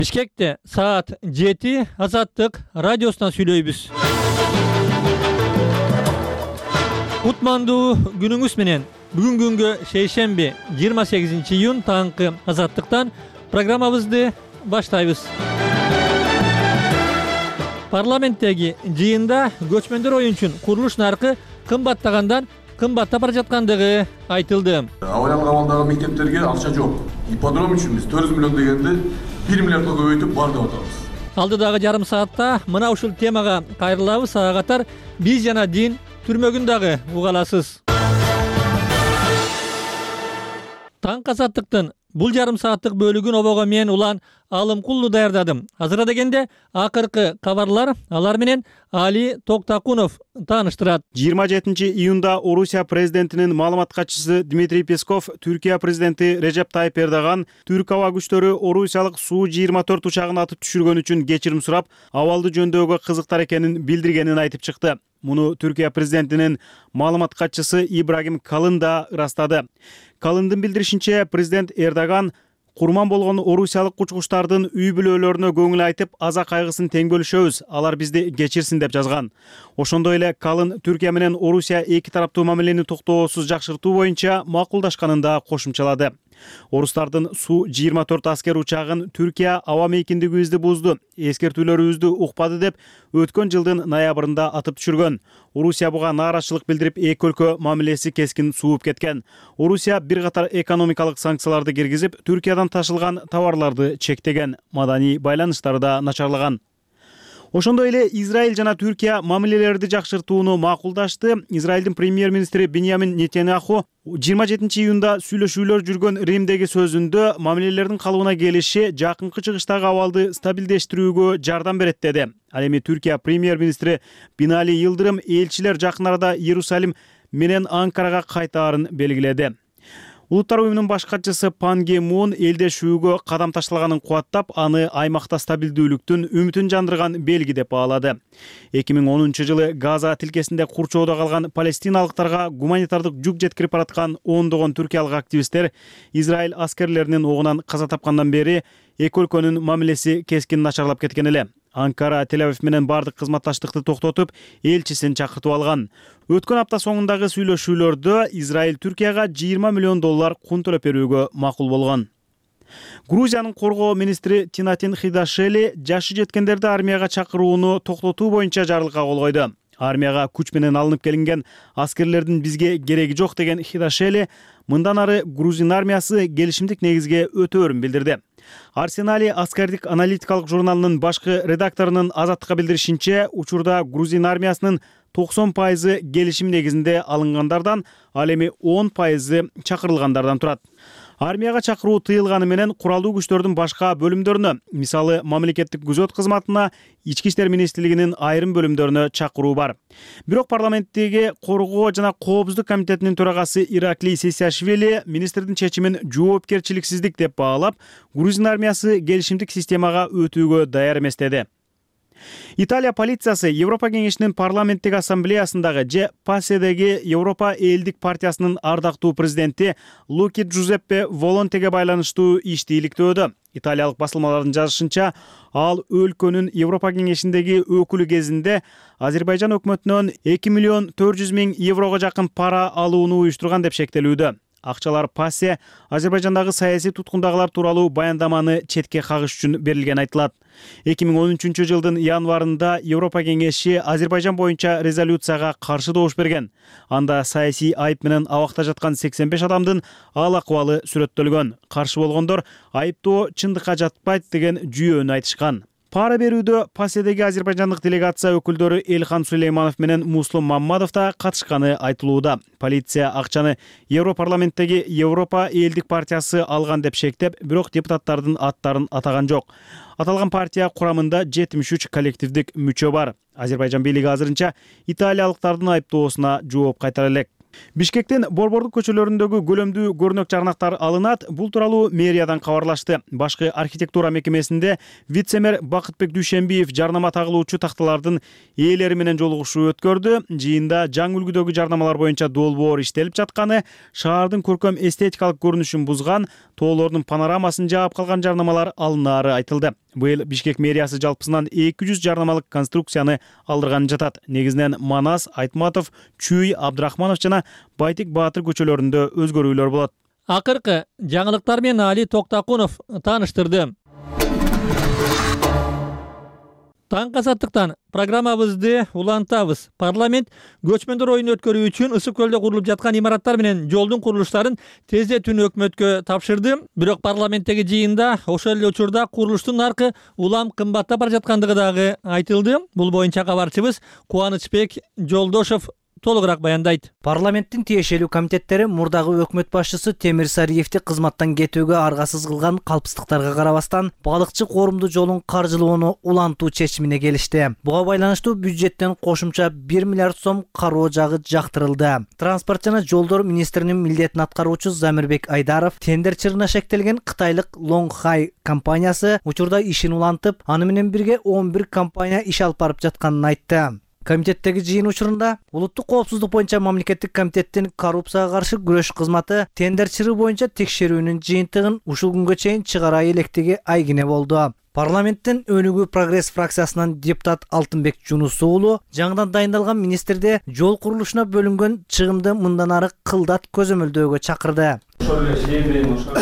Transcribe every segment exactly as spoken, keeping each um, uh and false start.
Бишкекте саат жети Азаттык радиосунан сүйлөйбүз. Кутмандуу күнүңүз менен. Бүгүн күнгө шейшемби жыйырма сегизинчи июнь таңкы Азаттыктан программабызды баштайбыз. Парламенттеги жыйында көчмөндөр оюнчун курулуш наркы кымбаттагандан кымбаттап бара жаткандыгы айтылды. Абайлан кабалдагы мектептерге акча жок. Ипподром үчүн биз төрт жүз миллион дегенди бир миллиардка көбөйтүп бар деп атабыз. Алдыдагы жарым саатта мына ушул темага кайрылабыз. Ага катар биз жана дин түрмөгүн дагы уга аласыз. Таң Азаттыктын бул жарым сааттык бөлүгүн обого мен Улан Алымкулду даярдадым. Азыр дегенде акыркы кабарлар алар менен Али Токтакунов тааныштырат. жыйырма жетинчи июнда Орусия президентинин маалымат катчысы Дмитрий Песков Түркия президенти Режеп Тайып Эрдоган Түрк аба күчтөрү орусиялык Су жыйырма төрт учагын атып түшүргөн үчүн кечирим сурап, абалды жөндөөгө кызыктар экенин билдиргенин айтып чыкты. Муну Түркия президентинин маалымат катчысы Ибрагим Калын да ырастады. Калындын билдиришинче, президент Эрдоган курман болгон орусиялык кучкучтардын үй бүлөлөрүнө көңүл айтып, аза кайгысын тең бөлүшөбүз, алар бизди кечирсин деп жазган. Ошондой эле Калын Түркия менен Орусия эки тараптуу мамилени токтоосуз жакшыртуу боюнча макулдашканын да кошумчалады. Орустардын Су жыйырма төрт аскер учагын Түркия аба мейкиндигибизди бузду, эскертүүлөрүбүздү укпады деп өткөн жылдын ноябрында атып түшүргөн. Орусия буга нааразычылык билдирип, эки өлкө мамилеси кескин сууп кеткен. Орусия бир катар экономикалык санкцияларды киргизип, Түркиядан ташылган товарларды чектеген, маданий байланыштары да начарлаган. Ошондой эле Израиль жана Түркия мамилелерди жакшыртууну макулдашты. Израилдин премьер-министри Биньямин Нетаньяху жыйырма жетинчи июнда сүйлөшүүлөр жүргөн Римдеги сөзүндө мамилелердин калыбына келиши жакынкы чыгыштагы абалды стабилдештирүүгө жардам берет деди. Ал эми Түркия премьер-министри Бинали Йылдырым элчилер жакын арада Иерусалим менен Анкарага кайтаарын белгиледи. Улуттар уюмунун баш катчысы Пан Ги Мун элдешүүгө кадам ташталганын кубаттап, аны аймакта стабилдүүлүктүн үмүтүн жандырган белги деп баалады. эки миң онунчу жылы Газа тилкесинде курчоодо калган палестиналыктарга гуманитардык жүк жеткирип бараткан ондогон түркиялык активисттер Израиль аскерлеринин огунан каза тапкандан бери эки өлкөнүн мамилеси кескин начарлап кеткен эле. Анкара Тель-Авив менен бардык кызматташтыкты токтотуп, элчисин чакыртып алган. Өткөн апта соңундагы сүйлөшүүлөрдө Израиль Түркияга жыйырма миллион доллар кун төлөп берүүгө макул болгон. Грузиянын коргоо министри Тинатин Хидашели жашы жеткендерди армияга чакырууну токтотуу боюнча жарлыкка кол койду. Армияга күч менен алынып келинген аскерлердин бизге кереги жок деген Хидашели мындан ары грузин армиясы келишимдик негизге өтөөрүн билдирди. Арсенали аскердик аналитикалык журналынын башкы редакторунун Азаттыкка билдиришинче, учурда грузин армиясынын токсон пайызы келишим негизинде алынгандардан, ал эми он пайызы чакырылгандардан турат. Армияга чакыруу тыйылганы менен куралдуу күчтөрдүн башка бөлүмдөрүнө, мисалы мамлекеттик күзөт кызматына, ички иштер министрлигинин айрым бөлүмдөрүнө чакыруу бар. Бирок парламенттеги коргоо жана коопсуздук комитетинин төрагасы Ираклий Сесиашвили министрдин чечимин жоопкерчиликсиздик деп баалап, грузин армиясы келишимдик системага өтүүгө даяр эмес деди. Италия полициясы Европа кеңешинин парламенттик ассамблеясындагы же Пасседеги Европа элдик партиясынын ардактуу президенти Луки Джузеппе Волонтеге байланыштуу ишти иликтөөдө. Италиялык басылмалардын жазышынча, ал өлкөнүн Европа кеңешиндеги өкүлү кезинде Азербайжан өкмөтүнөн эки миллион төрт жүз миң еврого жакын пара алууну уюштурган деп шектелүүдө. Акчалар Пассе Азербайжандагы саясий туткундагылар тууралуу баяндаманы четке кагыш үчүн берилген айтылат. эки миң он үчүнчү жылдын январында Европа кеңеши Азербайжан боюнча резолюцияга каршы добуш берген. Анда саясий айып менен абакта жаткан сексен беш адамдын ал акыбалы сүрөттөлгөн. Каршы болгондор айыптоо чындыкка жатпайт деген жүйөнү айтышкан. Пара берүүдө Пасседеги азербайжандык делегация өкүлдөрү Элхан Сулейманов менен Муслум Маммадов да катышканы айтылууда. Полиция акчаны Европарламенттеги Европа элдик партиясы алган деп шектеп, бирок депутаттардын аттарын атаган жок. Аталган партия курамында жетимиш үч коллективдик мүчө бар. Азербайжан бийлиги азырынча италиялыктардын айыптоосуна жооп кайтара элек. Бишкектин Борбордук көчөлөрүндөгү көлөмдүү көрнөк чарнактар алынат. Бул тууралуу мэриядан кабарлашты. Башкы архитектура мекемесинде вице-мэр Бакытбек Дүйшенбиев жарнама тагылуучу такталардын ээлери менен жолугушуу өткөрдү. Жыйында жаңы үлгүдөгү жарнамалар боюнча долбоор иштелип жатканы, шаардын көркөм эстетикалык көрүнүшүн бузган, тоолордун панорамасын жаап калган жарнамалар алынаары айтылды. Быйыл Бишкек мэриясы жалпысынан эки жүз жарнамалык конструкцияны алдырганы жатат. Негизинен Манас, Айтматов, Чүй, Абдрахманов жана Байтик Баатыр көчөлөрүндө өзгөрүүлөр болот. Акыркы жаңылыктар менен Али Токтакунов тааныштырды. Таң казаттыктан программабызды улантабыз. Парламент көчмөндөр оюнун өткөрүү үчүн Ысык көлдө курулуп жаткан имараттар менен жолдун курулуштарын тездетүүнү өкмөткө тапшырды. Бирок парламенттеги жыйында ошол эле учурда курулуштун наркы улам кымбаттап бара жаткандыгы дагы айтылды. Бул боюнча кабарчыбыз Кубанычбек Жолдошов толугураак баяндайт. Парламенттин тиешелүү комитеттери мурдагы өкмөт башчысы Темир Сариевди кызматтан кетүүгө аргасыз кылган калпсыздыктарга карабастан балыкчы коорумдуу жолун каржылоону улантуу чечимине келишти. Буга байланыштуу бюджеттен кошумча бир миллиард сом кароо жагы жактырылды. Транспорт жана жолдор министринин милдетин аткаруучу Замирбек Айдаров тендер чырына шектелген кытайлык Лонгхай компаниясы учурда ишин улантып, аны менен бирге он бир компания иш алып барып жатканын айтты. Комитеттеги жыйын учурунда улуттук коопсуздук боюнча мамлекеттик комитеттин коррупцияга каршы күрөш кызматы тендер чыры боюнча текшерүүнүн жыйынтыгын ушул күнгө чейин чыгара электиги айгине болду. Парламенттин Өнүгүү Прогресс фракциясынан депутат Алтынбек Жунус уулу жаңыдан дайындалган министрде жол курулушуна бөлүнгөн чыгымды мындан ары кылдат көзөмөлдөөгө чакырды. Ошол эле шеебин ошол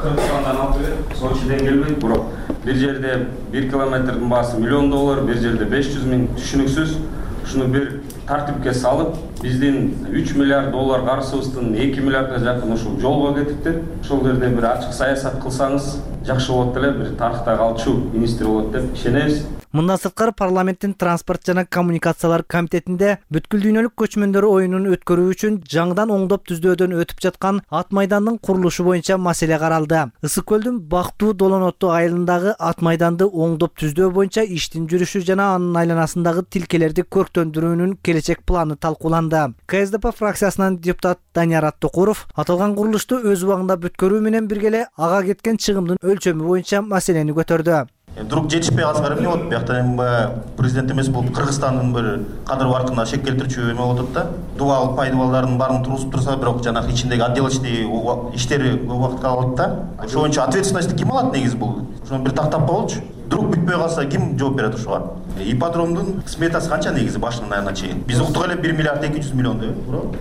Кыргызстандан алып келет, Сочиден келбейт, бирок бир жерде бир километрдин баасы миллион доллар, бир жерде беш жүз миң түшүнүксүз. Ушуну бир тартипке салып, биздин үч миллиард доллар каржыбыздын эки миллиардга жакын ушул жолго кетиптир. Ошол жерде бир ачык саясат кылсаңыз жакшы болот эле, бир тарыхта калчу министр болот деп ишенебиз. Мындан сырткары парламенттин транспорт жана коммуникациялар комитетинде бүткүл дүйнөлүк көчмөндөр оюнун өткөрүү үчүн жаңыдан оңдоп түздөөдөн өтүп жаткан Ат майдандын курулушу боюнча маселе каралды. Ысык көлдүн Бактуу Долонотту айылындагы Ат майданды оңдоп түздөө боюнча иштин жүрүшү жана анын айланасындагы тилкелерди көрктөндүрүүнүн келечек планы талкууланды. КСДП фракциясынан депутат Данияр Аттокуров аталган курулушту өз убагында бүткөрүү менен бирге эле ага кеткен чыгымдын өлчөмү боюнча маселени көтөрдү. Друг жетишпей калса эмне болот? Биякта эми президент эмес бул Кыргызстандын бир кадыр баркына шек келтирчү эме болот да. Дубал пайдыбалдардын баарын тургузуп турса, бирок жанагы ичиндеги отделочный иштери көп убакытка алат да. Ошол боюнча ответственность ким алат негизи бул? Ошону бир тактап коелучу. Друг бүтпөй калса ким жооп берет ошого? Ипподромдун сметасы канча негизи башынан аягына чейин? Биз уктук эле бир миллиард эки жүз миллион деп, бирок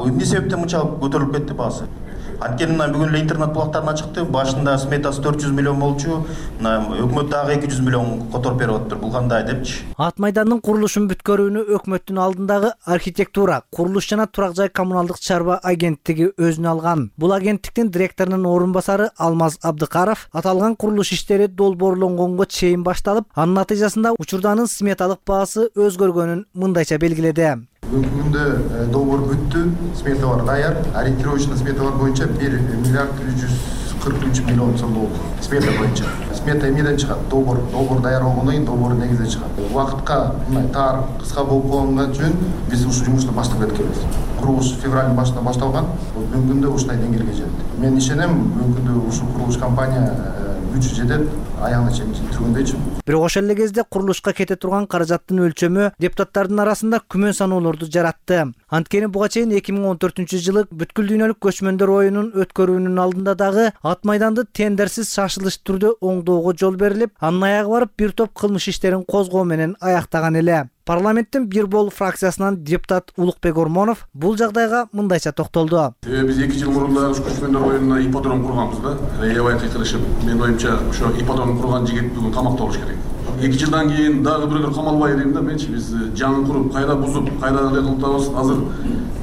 эмне себептен мынча көтөрүлүп кетти баасы? Анткени бүгүн эле интернет булактарына чыкты. Башында сметасы төрт жүз миллион болчу. Өкмөт дагы эки жүз миллион которуп берип атыптыр. Бул кандай депчи? Ат майдандын курулушун бүткөрүүнү өкмөттүн алдындагы архитектура, курулуш жана турак жай коммуналдык чарба агенттиги өзүнө алган. Бул агенттиктин директорунун орун басары Алмаз Абдыкаров аталган курулуш иштери долбоорлонгонго чейин башталып, анын натыйжасында учурданын сметалык баасы өзгөргөнүн мындайча белгиледи. Бүгүнкү күндө долбоор бүттү, сметалар даяр, ориентировочный сметалар боюнча бир миллиард үч жүз кырк үч миллион сом болду. Смета боюнча. Смета эмнеден чыгат? Долбоор, долбоор даяр болгондон кийин долбоор негизинен чыгат. Убакытка мындай тар, кыска болуп калган үчүн биз ушул жумушту баштап кеткенбиз. Курулуш февралдын башында башталган. Бүгүнкү күндө ушундай деңгээлге жетти. Мен ишенем, бүгүнкү күндө ушул курулуш компания күчү жетет, аягына чейин жеткиргөндөйчү. Бирок ошол эле кезде курулушка кете турган каражаттын өлчөмү депутаттардын арасында күмөн саноолорду жаратты. Анткени буга чейин эки миң он төртүнчү жылы бүткүл дүйнөлүк көчмөндөр оюнун өткөрүүнүн алдында дагы Ат майданды тендерсиз шашылыш түрдө оңдоого жол берилип, анын аягы барып бир топ кылмыш иштерин козгоо менен аяктаган эле. Парламенттин бир бол фракциясынан депутат Улукбек Ормонов бул жагдайга мындайча токтолду. Биз эки жыл мурун да көчмөндөр оюнуна ипподром курганбыз да. Аябай кыйкырышып, менин оюмча ошо ипподром курган жигит бүгүн камакта болуш керек. эки жылдан кийин дагы бирөөлөр камалбай дейм да менчи. Биз жаңы куруп, кайра бузуп, кайра эле кылтабыз. Азыр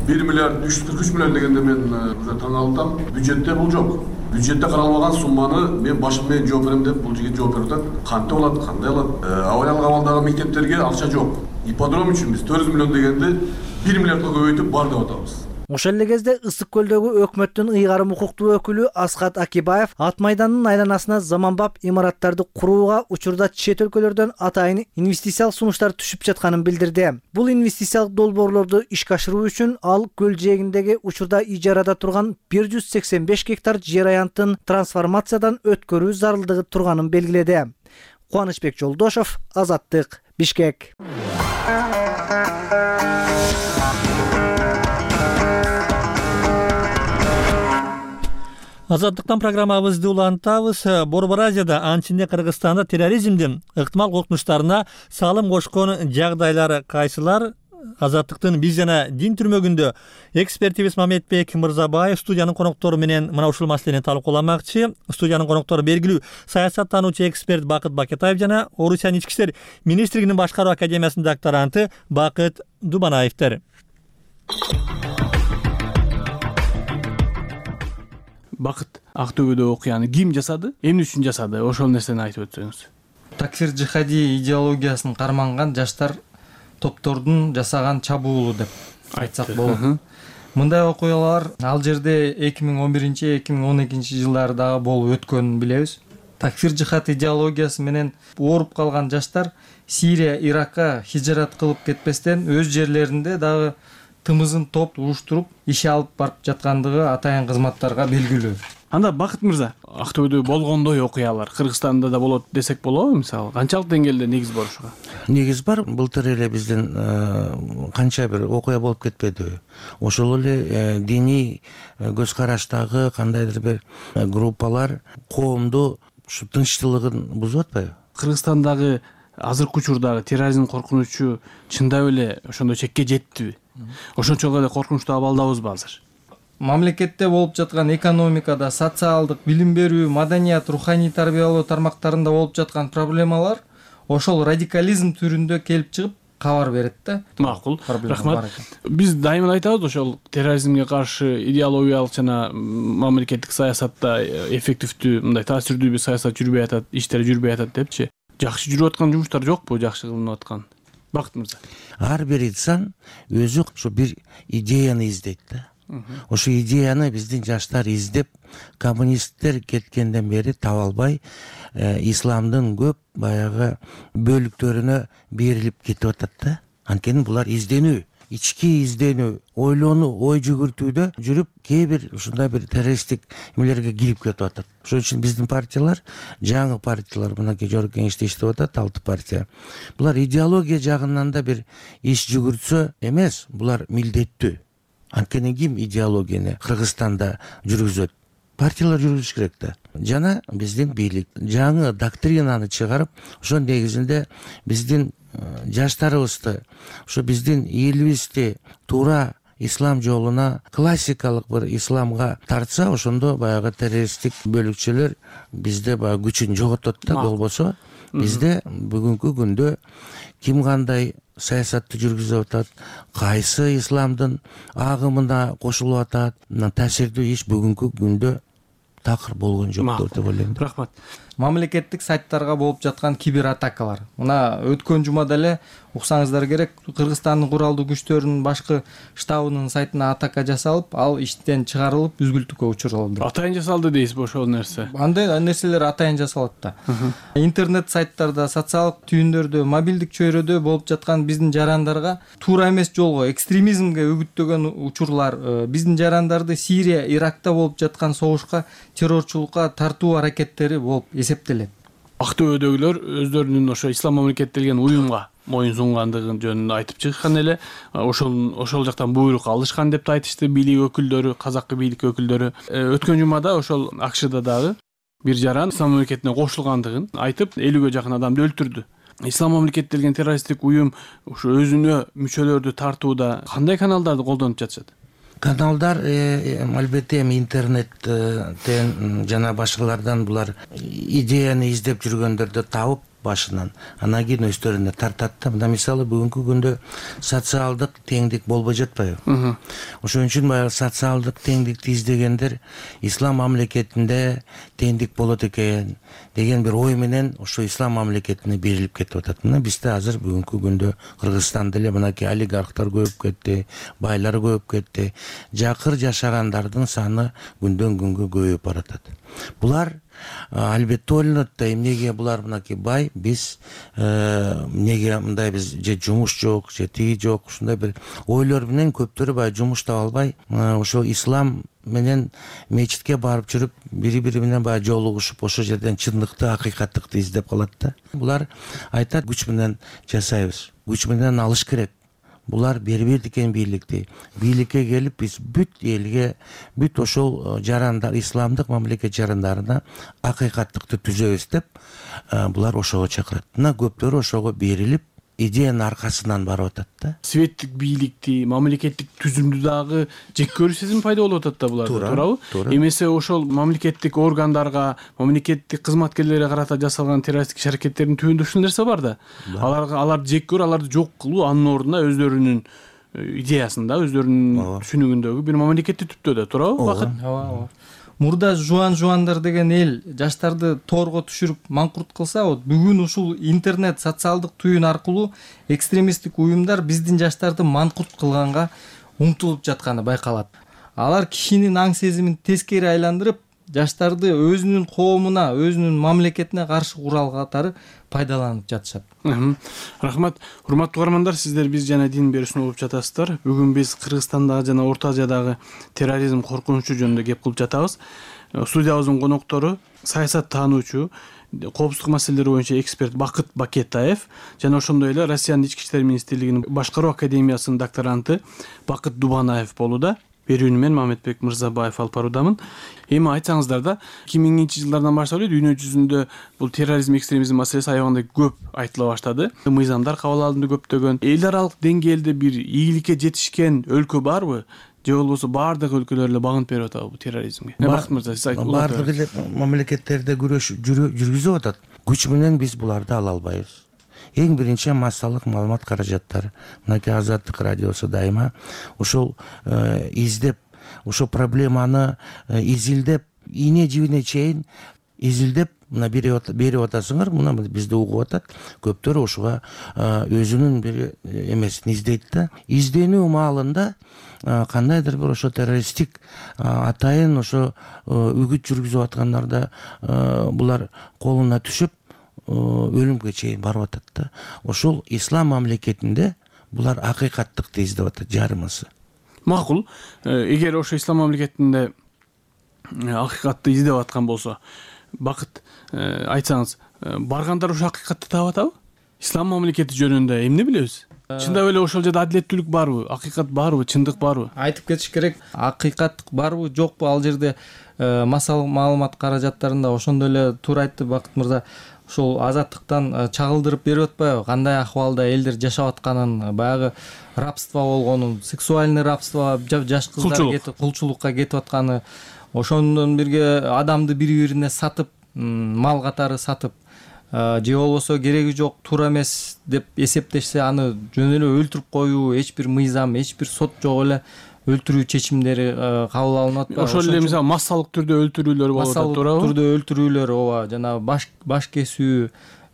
бир миллиард үч жүз кырк үч миллион дегенде мен уже таң калдым. Бюджетте бул жок. Бюджетте каралбаган сумманы мен башым менен жооп берем деп бул жигит жооп берип атат. Кантип болот, кандай болот? Авариялык абалдагы мектептерге акча жок. Ипподром үчүн биз төрт жүз миллион дегенди бир миллиардка көбөйтүп бар деп атабыз. Ошол эле кезде Ысык көлдөгү өкмөттүн ыйгарым укуктуу өкүлү Асхат Акибаев ат майданынын айланасына заманбап имараттарды курууга учурда чет өлкөлөрдөн атайын инвестициялык сунуштар түшүп жатканын билдирди. Бул инвестициялык долбоорлорду ишке ашыруу үчүн ал көл жээгиндеги учурда ижарада турган бир жүз сексен беш гектар жер аянтын трансформациядан өткөрүү зарылдыгы турганын белгиледи. Кубанычбек Жолдошов, Азаттык, Бишкек. Азаттыктан программабызды улантабыз. Борбор Азияда, анчинде Кыргызстанда терроризмдин ыктымал коркунучтарына салым кошкон жагдайлар кайсылар? Азаттыктын биз жана дин түрмөгүндө экспертибиз Мамедбек Мырзабаев студиянын коноктору менен мына ушул маселени талкууламакчы. Студиянын коноктору белгилүү саясаттануучу эксперт Бакыт Бакетаев жана Орусиянын ички иштер министрлигинин башкаруу академиясынын докторанты Бакыт Дубанаевдер. Бакыт, Актөбөдө окуяны ким жасады? Эмне үчүн жасады? Ошол нерсени айтып өтсөңүз. Такфир жихади идеологиясын карманган жаштар топтордун жасаган чабуулу деп айтсак болот. Мындай окуялар ал жерде эки миң он биринчи эки миң он экинчи жылдары дагы болуп өткөнүн билебиз. Такфир жихад идеологиясы менен ооруп калган жаштар Сирия, Иракка хижрат кылып кетпестен өз жерлеринде дагы тымызын топ уруштуруп иш алып барып жаткандыгы атайын кызматтарга белгилүү. Анда Бакыт мырза, Актөбөдө болгондой окуялар Кыргызстанда да болот десек болобу? Мисалы, канчалык деңгээлде негиз бар ушуга? Негиз бар. Былтыр эле биздин канча бир окуя болуп кетпедиби? Ошол эле диний көз караштагы кандайдыр бир группалар коомду ушу тынччылыгын бузуп атпайбы? Кыргызстандагы азыркы учурдагы терроризм коркунучу чындап эле ошондой чекке жеттиби? Ошончолук эле коркунучтуу абалдабызбы азыр? Мамлекетте болуп жаткан экономикада, социалдык, билим берүү, маданият, руханий тарбиялоо тармактарында болуп жаткан проблемалар ошол радикализм түрүндө келип чыгып кабар берет да. Макул. Рахмат. Биз дайыма айтабыз, ошол терроризмге каршы идеологиялык жана мамлекеттик саясатта эффективдүү, мындай таасирдүү бир саясат жүрбөй атат, иштер жүрбөй атат депчи. Жакшы жүрүп аткан жумуштар жокпу, жакшы кылынып аткан? Бакыт мырза. Ар бир инсан өзү ошо бир идеяны издейт да. Ошо идеяны биздин жаштар издеп, коммунисттер кеткенден бери таба албай, исламдын көп баягы бөлүктөрүнө берилип кетип атат да. Анткени булар изденүү, ички изденүү, ойлонуу, ой жүгүртүүдө жүрүп, кээ бир ушундай бир террористтик эмелерге кирип кетип атат. Ошон үчүн биздин партиялар, жаңы партиялар, мынакей жогорку кеңеште иштеп атат, алты партия. Булар идеология жагынан да бир иш жүгүртсө эмес, булар милдеттүү. Анткени ким идеологияны Кыргызстанда жүргүзөт? Партиялар жүргүзүш керек да. Жана биздин бийлик жаңы доктринаны чыгарып, ошон негизинде биздин жаштарыбызды, ошо биздин элибизди туура ислам жолуна, классикалык бир исламга тартса, ошондо баягы террористтик бөлүкчөлөр бизде баягы күчүн жоготот да. Болбосо бизде бүгүнкү күндө ким кандай саясатты жүргүзүп атат, кайсы исламдын агымына кошулуп атат, таасирдүү иш бүгүнкү күндө такыр болгон жок деп ойлойм. Рахмат. Мамлекеттик сайттарга болуп жаткан кибер атакалар. Мына өткөн жумада эле уксаңыздар керек, Кыргызстандын куралдуу күчтөрүнүн башкы штабынын сайтына атака жасалып, ал иштен чыгарылып, үзгүлтүккө учуралды. Атайын жасалды дейсизби ошол нерсе? Андай нерселер атайын жасалат да. Интернет сайттарда, социалдык түйүндөрдө, мобилдик чөйрөдө болуп жаткан биздин жарандарга туура эмес жолго, экстремизмге үгүттөгөн учурлар, биздин жарандарды Сирия, Иракта болуп жаткан согушка, террорчулукка тартуу аракеттери болуп эсептелет. Актөбөдөгүлөр өздөрүнүн ошо ислам мамлекеттелген уюмга моюн сунгандыгын жөнүндө айтып чыккан эле, ошол ошол жактан буйрук алышкан деп айтышты бийлик өкүлдөрү, казакы бийлик өкүлдөрү. Өткөн жумада ошол АКШда дагы бир жаран ислам мамлекетине кошулгандыгын айтып, элүүгө жакын адамды өлтүрдү. Ислам мамлекеттелген террористтик уюм ошо өзүнө мүчөлөрдү тартууда кандай каналдарды колдонуп жатышат? Каналдар албетте эми интернеттен жана башкалардан булар идеяны издеп жүргөндөрдү табып, башынан, анан кийин өздөрүнө тартат да. Мына мисалы бүгүнкү күндө социалдык теңдик болбой жатпайбы? Ошон үчүн баягы социалдык теңдикти издегендер ислам мамлекетинде теңдик болот экен деген бир ой менен ошо ислам мамлекетине берилип кетип атат. Мына бизде азыр бүгүнкү күндө Кыргызстанда эле мынакей олигархтар көбөйүп кетти, байлар көбөйүп кетти. Жакыр жашагандардын саны күндөн күнгө көбөйүп баратат. Булар албетте ойлонот да, эмнеге булар мынакей бай, биз эмнеге мындай, биз же жумуш жок, же тиги жок, ушундай бир ойлор менен көптөрү баягы жумуш таба албай, ошо ислам менен мечитке барып жүрүп, бири-бири менен баягы жолугушуп, ошол жерден чындыкты, акыйкаттыкты издеп калат да. Булар айтат, күч менен жасайбыз, күч менен алыш керек. Булар бербейт экен бийликти. Бийликке келип биз бүт элге, бүт ошол жарандар, исламдык мамлекет жарандарына акыйкаттыкты түзөбүз деп, булар ошого чакырат. Мына көптөрү ошого берилип, идеянын аркасынан барып атат да. Светтик бийликти, мамлекеттик түзүмдү дагы жек көрүү сезими пайда болуп атат да буларда, туурабы? Эмесе ошол мамлекеттик органдарга, мамлекеттик кызматкерлерге карата жасалган террористтик аракеттердин түбүндө ушул нерсе бар да. Аларга аларды жек көрүү, аларды жок кылуу, анын ордуна өздөрүнүн идеясында, өздөрүнүн түшүнүгүндөгү бир мамлекетти түптөө да, туурабы? Бакыт. Ооба. Мурда жуан жуандар деген эл жаштарды тоорго түшүрүп маңкурт кылса, бүгүн ушул интернет, социалдык түйүн аркылуу экстремисттик уюмдар биздин жаштарды маңкурт кылганга умтулуп жатканы байкалат. Алар кишинин аң сезимин тескери айландырып, жаштарды өзүнүн коомуна, өзүнүн мамлекетине каршы курал катары пайдаланып жатышат. Рахмат. Урматтуу угармандар, сиздер биз жана дин берүүсүн угуп жатасыздар. Бүгүн биз Кыргызстандагы жана Орто Азиядагы терроризм коркунучу жөнүндө кеп кылып жатабыз. Студиябыздын коноктору саясат таануучу, коопсуздук маселелери боюнча эксперт Бакыт Бакетаев жана ошондой эле Россиянын ички иштер министрлигинин башкаруу академиясынын докторанты Бакыт Дубанаев болууда. Берүүнү мен Мамедбек Мырзабаев алып баруудамын. Эми айтсаңыздар да, эки миңинчи жылдардан баштап эле дүйнө жүзүндө бул терроризм, экстремизм маселеси аябагандай көп айтыла баштады. Мыйзамдар кабыл алынды көптөгөн. Эл аралык деңгээлде бир ийгиликке жетишкен өлкө барбы? Же болбосо баардык өлкөлөр эле багынып берип атабы бул терроризмге? Бакыт мырза, сиз айтыңыз. Баардык эле мамлекеттерде күрөш жүргүзүп атат. Күч менен биз буларды ала албайбыз. Эң биринчи массалык маалымат каражаттары. Мынакей Азаттык радиосу дайыма ошол издеп, ошол проблеманы изилдеп, ийне жибине чейин изилдеп, мына берип атасыңар, мына бизди угуп атат. Көптөр ошого өзүнүн бир эмесин издейт да. Изденүү маалында кандайдыр бир ошо террористтик атайын ошо үгүт жүргүзүп аткандарда булар колуна түшүп өлүмгө чейин барып атат да. Ошол ислам мамлекетинде булар акыйкаттыкты издеп атат, жарымысы. Макул. Эгер ошо ислам мамлекетинде акыйкатты издеп аткан болсо, Бакыт, айтсаңыз, баргандар ошо акыйкатты таап атабы? Ислам мамлекети жөнүндө эмне билебиз? Чындап эле ошол жерде адилеттүүлүк барбы, акыйкат барбы, чындык барбы? Айтып кетиш керек, акыйкаттык барбы, жокпу? Ал жерде массалык маалымат каражаттарында ошондой эле туура айтты Бакыт мырза. Ошол азаттыктан чагылдырып берип атпайбы? Кандай акыбалда элдер жашап атканын, баягы рабство болгонун, сексуальный рабство, жаш кыздар кетип, кулчулукка кетип атканы, ошондон бирге адамды бири-бирине сатып, мал катары сатып, же болбосо кереги жок, туура эмес деп эсептешсе, аны жөн эле өлтүрүп коюу, эч бир мыйзам, эч бир сот жок эле өлтүрүү чечимдери кабыл алынып атпайбы? Ошол эле мисалы массалык түрдө өлтүрүүлөр болуп атат, туурабы? Массалык түрдө өлтүрүүлөр, ооба, жана баш баш кесүү,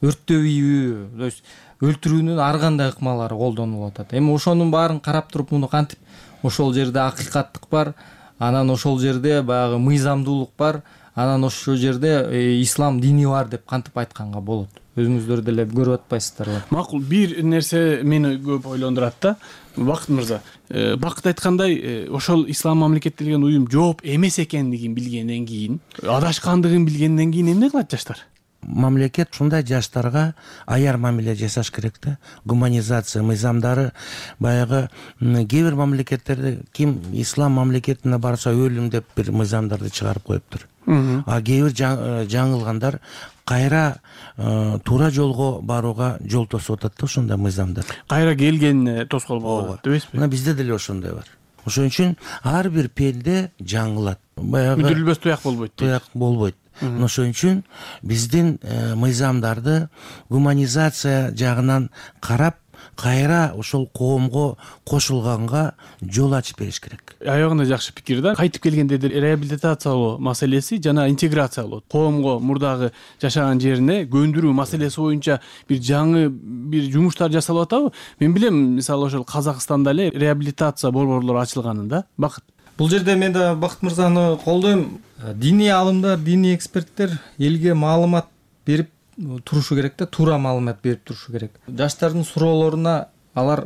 өрттөп ийүү, то есть өлтүрүүнүн ар кандай ыкмалары колдонулуп атат. Эми ошонун баарын карап туруп, муну кантип ошол жерде акыйкаттык бар, анан ошол жерде баягы мыйзамдуулук бар, анан ошол жерде ислам дини бар деп кантип айтканга болот? Өзүңүздөр деле көрүп атпайсыздарбы? Макул, бир нерсе мени көп ойлондурат да. Бакыт мырза, Бакыт айткандай, ошол ислам мамлекети деген уюм жооп эмес экендигин билгенден кийин, адашкандыгын билгенден кийин эмне кылат жаштар? Мамлекет ушундай жаштарга аяр мамиле жасаш керек да. Гуманизация мыйзамдары баягы кээ бир мамлекеттерде ким ислам мамлекетине барса өлүм деп бир мыйзамдарды чыгарып коюптур. А кээ бир жаңылгандар кайра туура жолго барууга жол тосуп атат да ошондой мыйзамдар. Кайра келгенине тоскоол болот, дебесизби? Мына бизде деле ошондой бар. Ошон үчүн ар бир пенде жаңылат. Баягы үдүрүлбөс туяк болбойт. Туяк болбойт. Ошон үчүн биздин мыйзамдарды гуманизация жагынан карап кайра ошол коомго кошулганга жол ачып бериш керек. Аягында жакшы пикир да. Кайтып келгенде реабилитациялоо маселеси жана интеграциялоо, коомго мурдагы жашаган жерине көндүрүү маселеси боюнча бир жаңы бир жумуштар жасалып атабы? Мен билем, мисалы ошол Казакстанда эле реабилитация борборлору ачылганын да. Бакыт. Бул жерде мен да Бакыт мырзаны колдойм. Диний алымдар, диний эксперттер элге маалымат берип турушу керек да, туура маалымат берип турушу керек. Жаштардын суроолоруна алар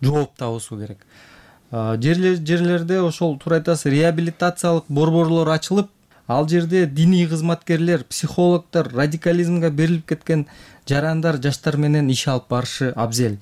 жооп табышуу керек. Жерлер жерлерде ошол туура айтасыз, реабилитациялык борборлор ачылып, ал жерде диний кызматкерлер, психологдор, радикализмге берилип кеткен жарандар жаштар менен иш алып барышы абзел.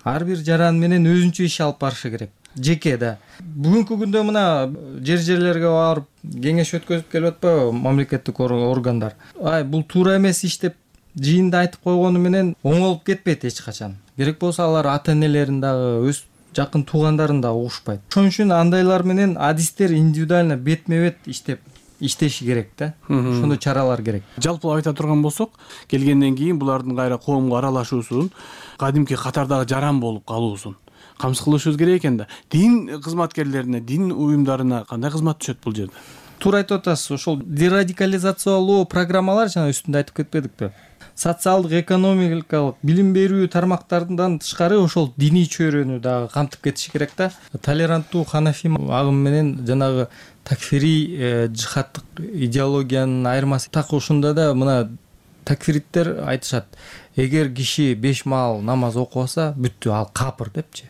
Ар бир жаран менен өзүнчө иш алып барышы керек. Жеке да. Бүгүнкү күндө мына жер жерлерге барып кеңеш өткөзүп келип атпайбы мамлекеттик органдар. Ай, бул туура эмес иш деп жыйында айтып койгону менен оңолуп кетпейт эч качан. Керек болсо алар ата-энелерин дагы, өз жакын туугандарын дагы угушпайт. Ошон үчүн андайлар менен адистер индивидуально бетме-бет иштеп иштеши керек да. Ошондой чаралар керек. Жалпылап айта турган болсок, келгенден кийин булардын кайра коомго аралашуусун, кадимки катардагы жаран болуп калуусун камсыз кылышыбыз керек экен да. Дин кызматкерлерине, дин уюмдарына кандай кызмат түшөт бул жерде? Туура айтып атасыз. Ошол дерадикализациялоо программалар жана үстүндө айтып кетпедикпи? Социалдык, экономикалык, билим берүү тармактарынан тышкары ошол диний чөйрөнү дагы камтып кетиши керек да. Толеранттуу ханафи агым менен жанагы такфири жихадтык идеологиянын айырмасы так ушунда да. Мына такфириттер айтышат, эгер киши беш маал намаз окубаса, бүттү, ал капыр депчи.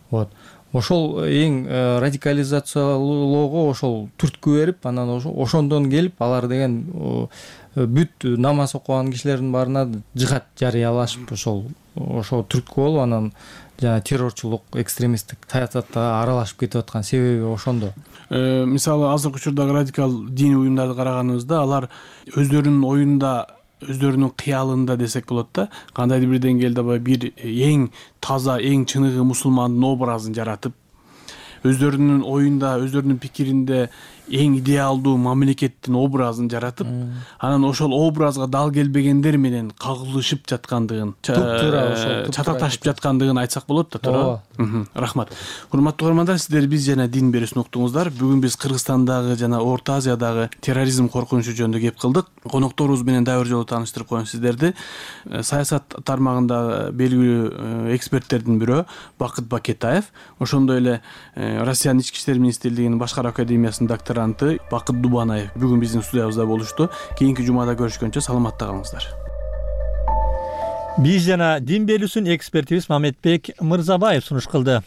Вот. Ошол эң радикализациялоого ошол түрткү берип, анан ошондон келип алар деген бүт намаз окуган кишилердин баарына жихад жарыялашып, ошол ошол түрткү болуп, анан жана террорчулук, экстремисттик саясатта аралашып кетип аткан себеби ошондо. Мисалы азыркы учурдагы радикал диний уюмдарды караганыбызда, алар өздөрүнүн оюнда, өздөрүнүн кыялында десек болот да, кандайдыр бир деңгээлде бир эң таза, эң чыныгы мусулмандын образын жаратып, өздөрүнүн оюнда, өздөрүнүн пикиринде эң идеалдуу мамлекеттин образын жаратып, анан ошол образга дал келбегендер менен кагылышып жаткандыгын, чатакташып жаткандыгын айтсак болот да, туура. Рахмат. Урматтуу угармандар, сиздер биз жана дин берүүсүн уктуңуздар. Бүгүн биз Кыргызстандагы жана Орто Азиядагы терроризм коркунучу жөнүндө кеп кылдык. Конокторубуз менен дагы бир жолу тааныштырып коеюн сиздерди. Саясат тармагында белгилүү эксперттердин бирөө Бакыт Бакетаев, ошондой эле Россиянын ички иштер министрлигинин башкаруу академиясынын докторанты Бакыт Дубанаев бүгүн биздин студиябызда болушту. Кийинки жумада көрүшкөнчө саламатта калыңыздар. Биз жана дин берүүсүн экспертибиз Мамедбек Мырзабаев сунуш кылды.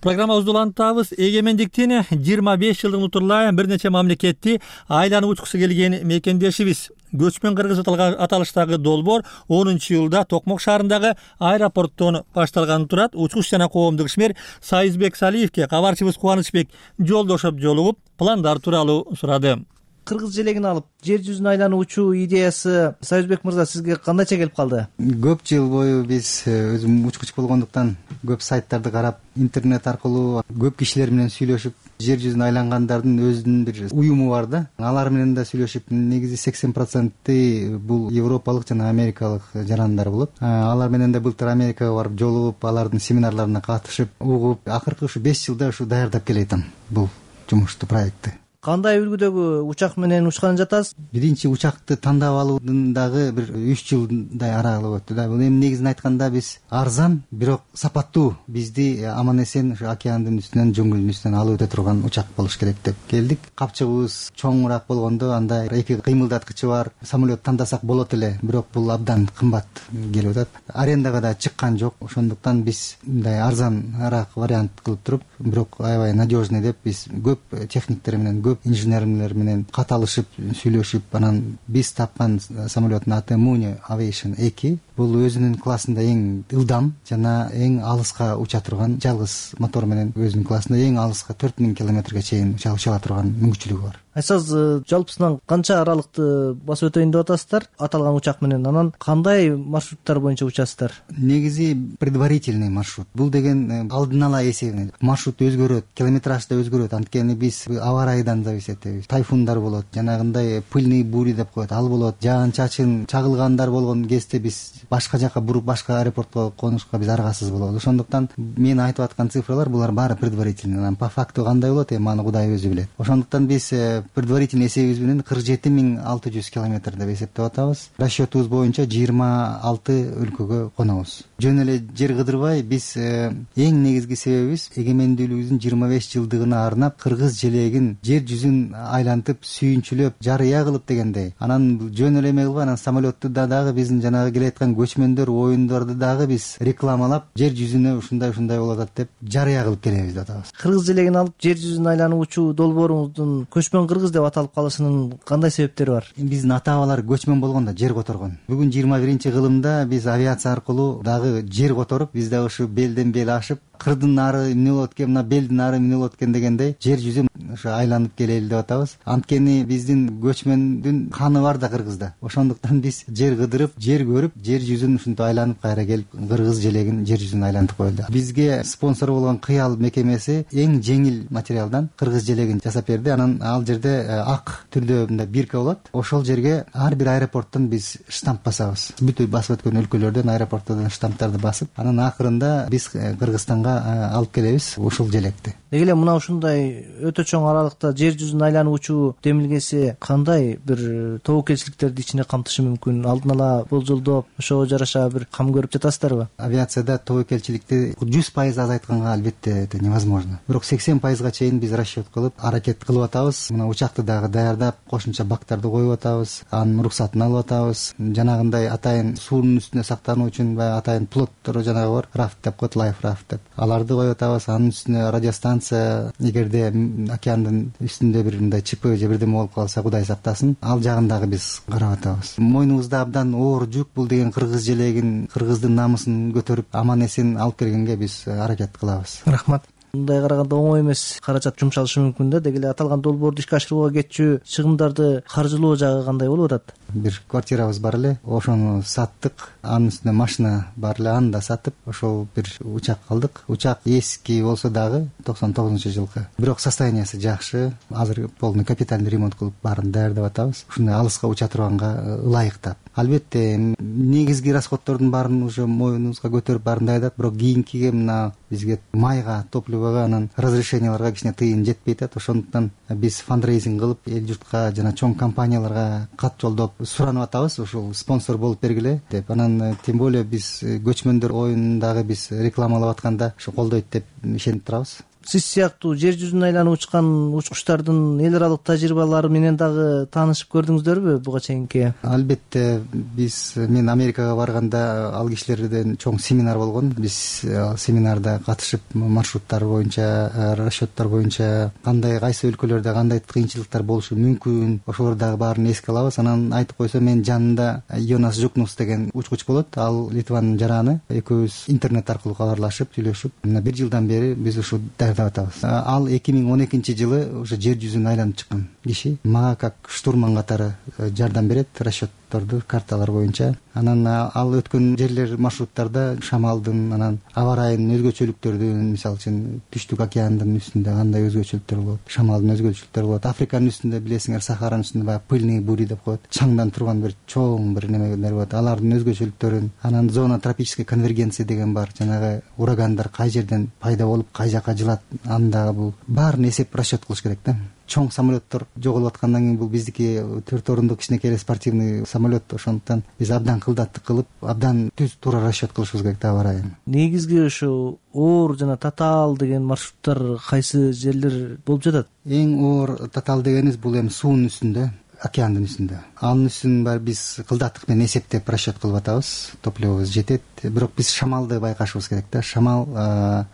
Программабызды улантабыз. Эгемендиктин жыйырма беш жылдыгын утурлай бир нече мамлекетти айланып учкусу келген мекендешибиз. Көчмөн кыргыз аталыштагы долбоор онунчу жылда Токмок шаарындагы аэропорттон башталганы турат. Учкуч жана коомдук ишмер Сайызбек Салиевке кабарчыбыз Кубанычбек Жолдошов жолугуп, пландар тууралуу сурады. Кыргыз желегин алып жер жүзүн айлануучу идеясы Сайызбек мырза сизге кандайча келип калды? Көп жыл бою биз өзүм учкуч болгондуктан көп сайттарды карап, интернет аркылуу көп кишилер менен сүйлөшүп, жер жүзүн айлангандардын өзүнүн бир уюму бар да. Алар менен да сүйлөшүп, негизи сексен проценти бул европалык жана америкалык жарандар болот. Алар менен да былтыр Америкага барып жолугуп, алардын семинарларына катышып, угуп, акыркы ушу беш жылда ушу даярдап келатам бул жумушту, проектти. Кандай үлгүдөгү учак менен учкан жатасыз? Биринчи учакты тандап алуудун дагы бир үч жылдай аралык өттү да. Бул эми негизин айтканда биз арзан, бирок сапаттуу бизди аман эсен ушу океандын үстүнөн, жөнгөлдүн үстүнөн алып өтө турган учак болуш керек деп келдик. Капчыгыбыз чоңураак болгондо андай эки кыймылдаткычы бар самолет тандасак болот эле, бирок бул абдан кымбат келип атат. Арендага да чыккан жок. Ошондуктан биз мындай арзаныраак вариант кылып туруп, бирок аябай надежный деп биз көп техниктер менен, көп инженерлер менен каталышып, сүйлөшүп, анан биз тапкан самолеттун аты Муни Aviation эки. Бул өзүнүн классында эң ылдам жана эң алыска уча турган, жалгыз мотор менен өзүнүн классында эң алыска төрт миң километрге чейин уча ала турган мүмкүнчүлүгү бар. Айсыз жалпысынан канча аралыкты басып өтөйүн деп атасыздар аталган учак менен? Анан кандай маршруттар боюнча учасыздар? Негизи предварительный маршрут. Бул деген алдын ала эсебинен. Маршрут өзгөрөт, километраж да өзгөрөт. Анткени биз аба ырайынан зависит этебиз. Тайфундар болот, жанагындай пыльный бури деп коет, ал болот. Жаан-чачын чагылгандар болгон кезде биз башка жака буруп башка аэропортко конушка биз аргасыз болобуз. Ошондуктан мен айтып аткан цифралар булар баары предварительный. Анан по факту кандай болот, эми аны Кудай өзү билет. Ошондуктан биз предварительный эсебибиз менен кырк жети миң алты жүз километр деп эсептеп атабыз. Расчетубуз боюнча жыйырма алты өлкөгө конобуз. Жөн эле жер кыдырбай биз эң негизги себебибиз эгемендүүлүгүбүздүн жыйырма беш жылдыгына арнап кыргыз желегин жер жүзүн айлантып сүйүнчүлөп жарыя кылып дегендей. Анан жөн эле эме кылбай, анан самолетту да дагы биздин жанагы келаткан көчмөндөр оюндарды дагы биз рекламалап жер жүзүнө ушундай ушундай болуп атат деп жарыя кылып келебиз деп атабыз. Кыргыз желегин алып жер жүзүн айланып учуу долбооруңуздун көчмөн кыргыз деп аталып калышынын кандай себептери бар? Биздин ата-бабалар көчмөн болгондо жер которгон. Бүгүн жыйырма биринчи кылымда биз авиация аркылуу дагы жер которуп, биз дагы ушу белден бел ашып, кырдын нары эмне болот экен, мына белдин нары эмне болот экен дегендей жер жүзүн ошо айланып келели деп атабыз. Анткени биздин көчмөндүн каны бар да Кыргызда. Ошондуктан биз жер кыдырып, жер көрүп, жер жүзүн ушинтип айланып кайра келип кыргыз желегин жер жүзүн айлантып коелу. Бизге спонсор болгон Кыял мекемеси эң жеңил материалдан кыргыз желегин жасап берди. Анан ал жерде ак түрдө мындай бирка болот. Ошол жерге ар бир аэропорттон биз штамп басабыз. Бүт басып өткөн өлкөлөрдөн аэропорттордон штамптарды басып, анан акырында биз Кыргызстанга алып келебиз ушул желекти. Деги эле мына ушундай өтө чоң аралыкта жер жүзүн айланып учуу демилгеси кандай бир тобокелчиликтерди ичине камтышы мүмкүн? Алдын ала болжолдоп, ошого жараша бир кам көрүп жатасыздарбы? Авиацияда тобокелчиликти жүз пайыз азайтканга албетте это невозможно. Бирок сексен пайызга чейин биз расчет кылып, аракет кылып атабыз. Мына учакты дагы даярдап, кошумча бактарды коюп атабыз, анын уруксатын алып атабыз. Жанагындай атайын суунун үстүнө сактануу үчүн баягы атайын плоттор жанагы бар, рафт деп коет, лайф рафт деп. Аларды коюп атабыз. Анын үстүнө радиостанция, эгерде океандын үстүндө бир мындай чипы же бирдеме болуп калса, Кудай сактасын, ал жагын дагы биз карап атабыз. Мойнубузда абдан оор жүк, бул деген кыргыз желегин, кыргыздын намысын көтөрүп, аман эсен алып келгенге биз аракет кылабыз. Рахмат. Мындай караганда оңой эмес, каражат жумшалышы мүмкүн да. Деги эле аталган долбоорду ишке ашырууга кетчү чыгымдарды каржылоо жагы кандай болуп атат? Бир квартирабыз бар эле, ошону саттык. Анын үстүнө машина бар эле, аны да сатып, ошол бир учак алдык. Учак эски болсо дагы токсон тогузунчу жылкы. Бирок состояниясы жакшы. Азыр полный капитальный ремонт кылып баарын даярдап атабыз. Ушундай алыска уча турганга ылайыктап. Албетте негизги расходтордун баарын уже мойнубузга көтөрүп баарын даярдап, бирок кийинкиге мына бизге майга, топливого, анан разрешенияларга кичине тыйын жетпей атат. Ошондуктан биз фандрейзинг кылып, эл журтка жана чоң компанияларга кат жолдоп суранып атабыз, ушул спонсор болуп бергиле деп. Анан тем более биз көчмөндөр оюнун дагы биз рекламалап атканда ушу колдойт деп ишенип турабыз. Сиз сыяктуу жер жүзүн айланып учкан учкучтардын эл аралык тажрыйбалары менен дагы таанышып көрдүңүздөрбү буга чейинки? Албетте, биз мен Америкага барганда ал кишилерден чоң семинар болгон. Биз семинарда катышып маршруттар боюнча, расчеттор боюнча кандай кайсы өлкөлөрдө кандай кыйынчылыктар болушу мүмкүн, ошолор дагы баарын эске алабыз. Анан айтып койсо, мен жанында Йонас Жукнус деген учкуч болот. Ал Литванын жараны. Экөөбүз интернет аркылуу кабарлашып, сүйлөшүп, мына бир жылдан бери биз ушу ал эки миң он экинчи жылы уже жер жүзүн айланып чыккан киши. Мага как штурман катары жардам берет, расчетторду, карталар боюнча. Анан ал өткөн жерлер, маршруттарда шамалдын, анан аба ырайынын өзгөчөлүктөрдүн, мисалы үчүн Түштүк океандын үстүндө кандай өзгөчөлүктөр болот, шамалдын өзгөчөлүктөрү болот. Африканын үстүндө билесиңер, Сахаранын үстүндө баягы пыльный бури деп коет, чаңдан турган бир чоң бир немелер болот. Алардын өзгөчөлүктөрүн, анан зона тропической конвергенции деген бар, жанагы урагандар кай жерден пайда болуп, кай жака жылат, анда бул баарын эсеп, расчет кылыш керек да. Чоң самолеттор жоголуп аткандан кийин бул биздики төрт орундук кичинекей спортивный самолет. Ошондуктан биз абдан кылдаттык кылып, абдан түз туура расчет кылышыбыз керек да абарайын. Негизги ушу оор жана татаал деген маршруттар кайсы жерлер болуп жатат? Эң оор татаал дегенибиз бул эми суунун үстүндө, океандын үстүндө. Анын үстүн баары биз кылдаттык менен эсептеп расчет кылып атабыз. Топливобуз жетет. Бирок биз шамалды байкашыбыз керек да. Шамал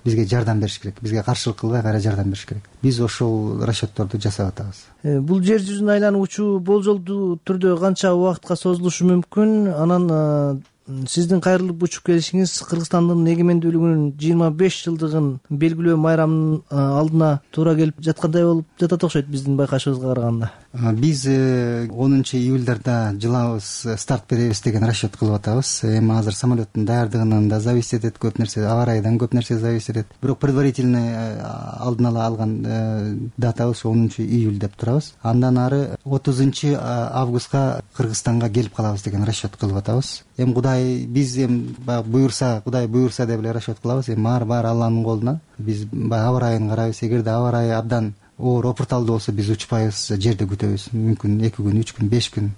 бизге жардам бериш керек. Бизге каршылык кылбай кайра жардам бериш керек. Биз ошол расчетторду жасап атабыз. Бул жер жүзүн айланып учуу болжолдуу түрдө канча убакытка созулушу мүмкүн? Анан сиздин кайрылып учуп келишиңиз Кыргызстандын эгемендүүлүгүнүн жыйырма беш жылдыгын белгилөө майрамынын алдына туура келип жаткандай болуп жатат окшойт биздин байкашыбызга караганда. Биз онунчу июльдарда жылабыз, старт беребиз деген расчет кылып атабыз. Эми азыр самолеттин даярдыгынан да зависит этет, көп нерсе, аба ырайдан көп нерсе зависит этет. Бирок предварительный алдын ала алган датабыз онунчу июль деп турабыз. Андан ары отузунчу августка Кыргызстанга келип калабыз деген расчет кылып атабыз. Эми Кудай биз эми баягы буйрса, Кудай буйрса деп эле расчет кылабыз. Эми баары баары Алланын колунда. Биз баягы аба ырайын карайбыз. Эгерде аба ырайы абдан оор опурталдуу болсо биз учпайбыз, жерде күтөбүз. Мүмкүн эки күн, үч күн, беш күн.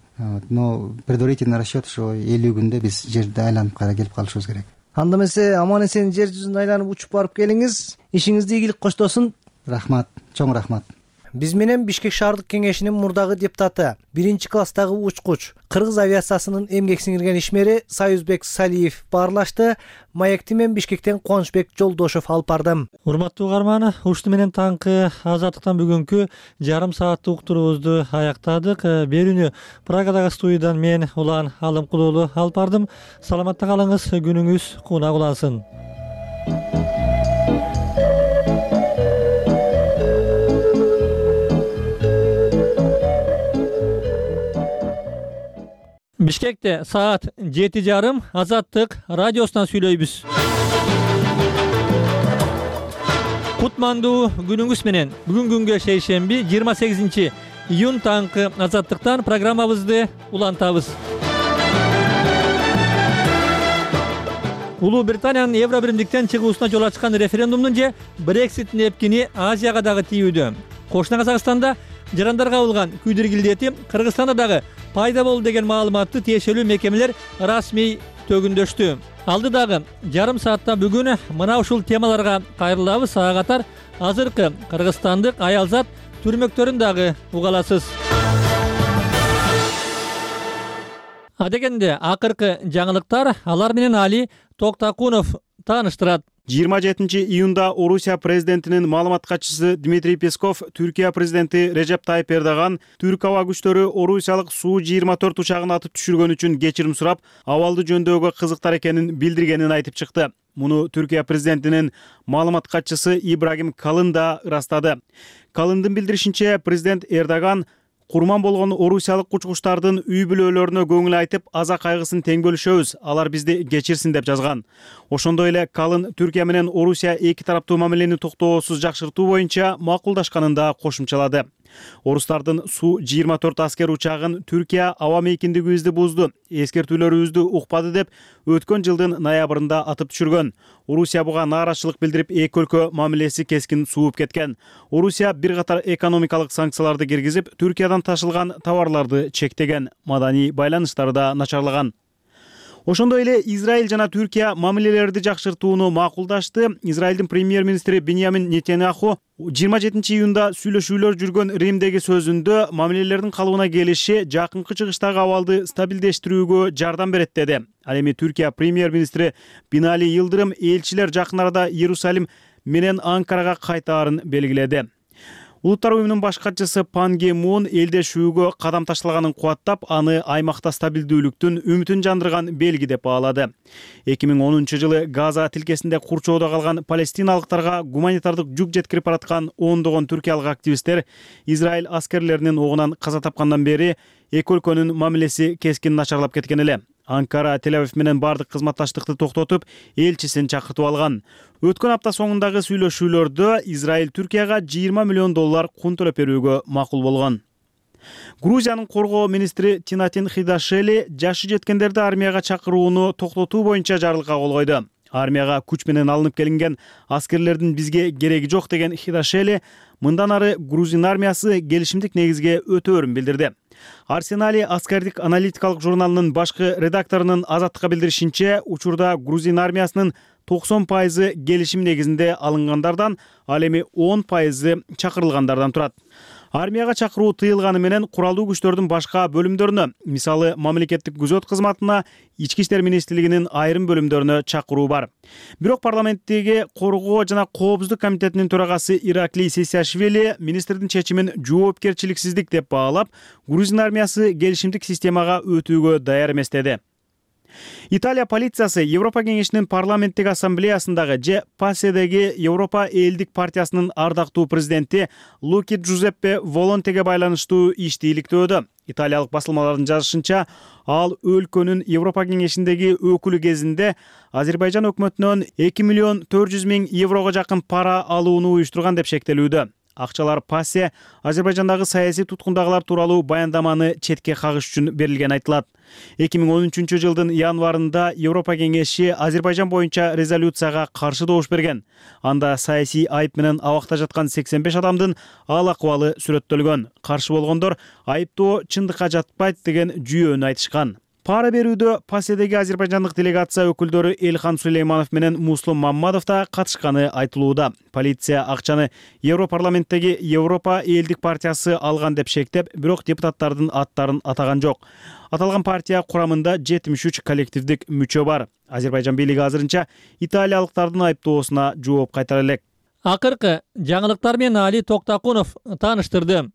Но предварительный расчет ошо элүү күндө биз жерде айланып кайра келип калышыбыз керек. Анда эмесе аман эсен жер жүзүн айланып учуп барып келиңиз. Ишиңизди ийгилик коштосун. Рахмат, чоң рахмат. Биз менен Бишкек шаардык кеңешинин мурдагы депутаты, биринчи класстагы учкуч, Кыргыз авиациясынын эмгек сиңирген ишмери Союзбек Салиев баарлашты. Маекти мен Бишкектен Кубанычбек Жолдошов алып бардым. Урматтуу угарман, ушты менен таңкы азаттыктан бүгүнкү жарым сааттык уктуруубузду аяктадык. Берүүнү Прагадагы студиядан мен Улан Алымкулуулу алып бардым. Саламатта калыңыз, күнүңүз кунак улансын. Бишкекте саат жети жарым Азаттык радиосунан сүйлөйбүз. Кутмандуу күнүңүз менен. Бүгүн күнгө шейшемби жыйырма сегизинчи июнь таңкы Азаттыктан программабызды улантабыз. Улуу Британиянын Евро биримдиктен чыгуусуна жол ачкан референдумдун же Брекситтин эпкини Азияга дагы тийүүдө. Кошуна Казакстанда жарандарга кабылган күйдүргилдети Кыргызстанда дагы пайда болду деген маалыматты тиешелүү мекемелер расмий төгүндөштү. Алдыдагы жарым саатта бүгүн мына ушул темаларга кайрылабыз. Ага катар азыркы кыргызстандык аялзат түрмөктөрүн дагы угаласыз. Адегенде акыркы жаңылыктар алар менен Али Токтакунов тааныштырат. жыйырма жетинчи июнда Орусия президентинин маалымат катчысы Дмитрий Песков Түркия президенти Режеп Тайып Эрдоган Түрк аба күчтөрү орусиялык Су жыйырма төрт учагын атып түшүргөн үчүн кечирим сурап, абалды жөндөөгө кызыктар экенин билдиргенин айтып чыкты. Муну Түркия президентинин маалымат катчысы Ибрагим Калын да ырастады. Калындын билдиришинче, президент Эрдоган курман болгон орусиялык учкучтардын үй бүлөлөрүнө көңүл айтып, аза кайгысын тең бөлүшөбүз, алар бизди кечирсин деп жазган. Ошондой эле Калын Түркия менен Орусия эки тараптуу мамилени токтоосуз жакшыртуу боюнча макулдашканын да кошумчалады. Орустардын Су жыйырма төрт аскер учагын Түркия аба мейкиндигибизди бузду, эскертүүлөрүбүздү укпады деп өткөн жылдын ноябрында атып түшүргөн. Орусия буга нааразычылык билдирип, эки өлкө мамилеси кескин сууп кеткен. Орусия бир катар экономикалык санкцияларды киргизип, Түркиядан ташылган товарларды чектеген, маданий байланыштары да начарлаган. Ошондой эле Израиль жана Түркия мамилелерди жакшыртууну макулдашты. Израилдин премьер-министри Биньямин Нетаньяху жыйырма жетинчи июнда сүйлөшүүлөр жүргөн Римдеги сөзүндө мамилелердин калыбына келиши жакынкы чыгыштагы абалды стабилдештирүүгө жардам берет деди. Ал эми Түркия премьер-министри Бинали Йылдырым элчилер жакын арада Иерусалим менен Анкарага кайтаарын белгиледи. Улуттар уюмунун баш катчысы Пан Ги Мун элдешүүгө кадам ташталганын кубаттап, аны аймакта стабилдүүлүктүн үмүтүн жандырган белги деп баалады. эки миң онунчу жылы Газа тилкесинде курчоодо калган палестиналыктарга гуманитардык жүк жеткирип бараткан ондогон түркиялык активисттер Израиль аскерлеринин огунан каза тапкандан бери эки өлкөнүн мамилеси кескин начарлап кеткен эле. Анкара Тель-Авив менен бардык кызматташтыкты токтотуп, элчисин чакыртып алган. Өткөн апта соңундагы сүйлөшүүлөрдө Израиль Түркияга жыйырма миллион доллар кун төлөп берүүгө макул болгон. Грузиянын коргоо министри Тинатин Хидашели жашы жеткендерди армияга чакырууну токтотуу боюнча жарлыкка кол койду. Армияга күч менен алынып келинген аскерлердин бизге кереги жок деген Хидашели мындан ары грузин армиясы келишимдик негизге өтөөрүн билдирди. Арсенали аскардик аналитикалык журналынын башкы редакторунун Азаттыкка билдиришинче, учурда грузин армиясынын токсон пайызы келишим негизинде алынгандардан, ал эми он пайызы чакырылгандардан турат. Армияга чакыруу тыйылганы менен куралдуу күчтөрдүн башка бөлүмдөрүнө, мисалы мамлекеттик күзөт кызматына, ички иштер министрлигинин айрым бөлүмдөрүнө чакыруу бар. Бирок парламенттеги коргоо жана коопсуздук комитетинин төрагасы Ираклий Сесиашвили министрдин чечимин жоопкерчиликсиздик деп баалап, грузин армиясы келишимдик системага өтүүгө даяр эмес деди. Италия полициясы Европа кеңешинин парламенттик ассамблеясындагы же паседеги Европа элдик партиясынын ардактуу президенти Луки Джузеппе Волонтеге байланыштуу ишти иликтөөдө. Италиялык басылмалардын жазышынча, ал өлкөнүн Европа кеңешиндеги өкүлү кезинде Азербайжан өкмөтүнөн эки миллион төрт жүз миң еврого жакын пара алууну уюштурган деп шектелүүдө. Акчалар пассе Азербайжандагы саясий туткундагылар тууралуу баяндаманы четке кагыш үчүн берилген айтылат. эки миң он үчүнчү жылдын январында Европа кеңеши Азербайжан боюнча резолюцияга каршы добуш берген. Анда саясий айып менен абакта жаткан сексен беш адамдын ал акыбалы сүрөттөлгөн. Каршы болгондор айыптоо чындыкка жатпайт деген жүйөнү айтышкан. Пара берүүдө паседеги азербайжандык делегация өкүлдөрү Элхан Сулейманов менен Муслум Маммадов да катышканы айтылууда. Полиция акчаны Европарламенттеги Европа элдик партиясы алган деп шектеп, бирок депутаттардын аттарын атаган жок. Аталган партия курамында жетимиш үч коллективдик мүчө бар. Азербайжан бийлиги азырынча италиялыктардын айыптоосуна жооп кайтара элек. Акыркы жаңылыктар менен Али Токтакунов тааныштырды.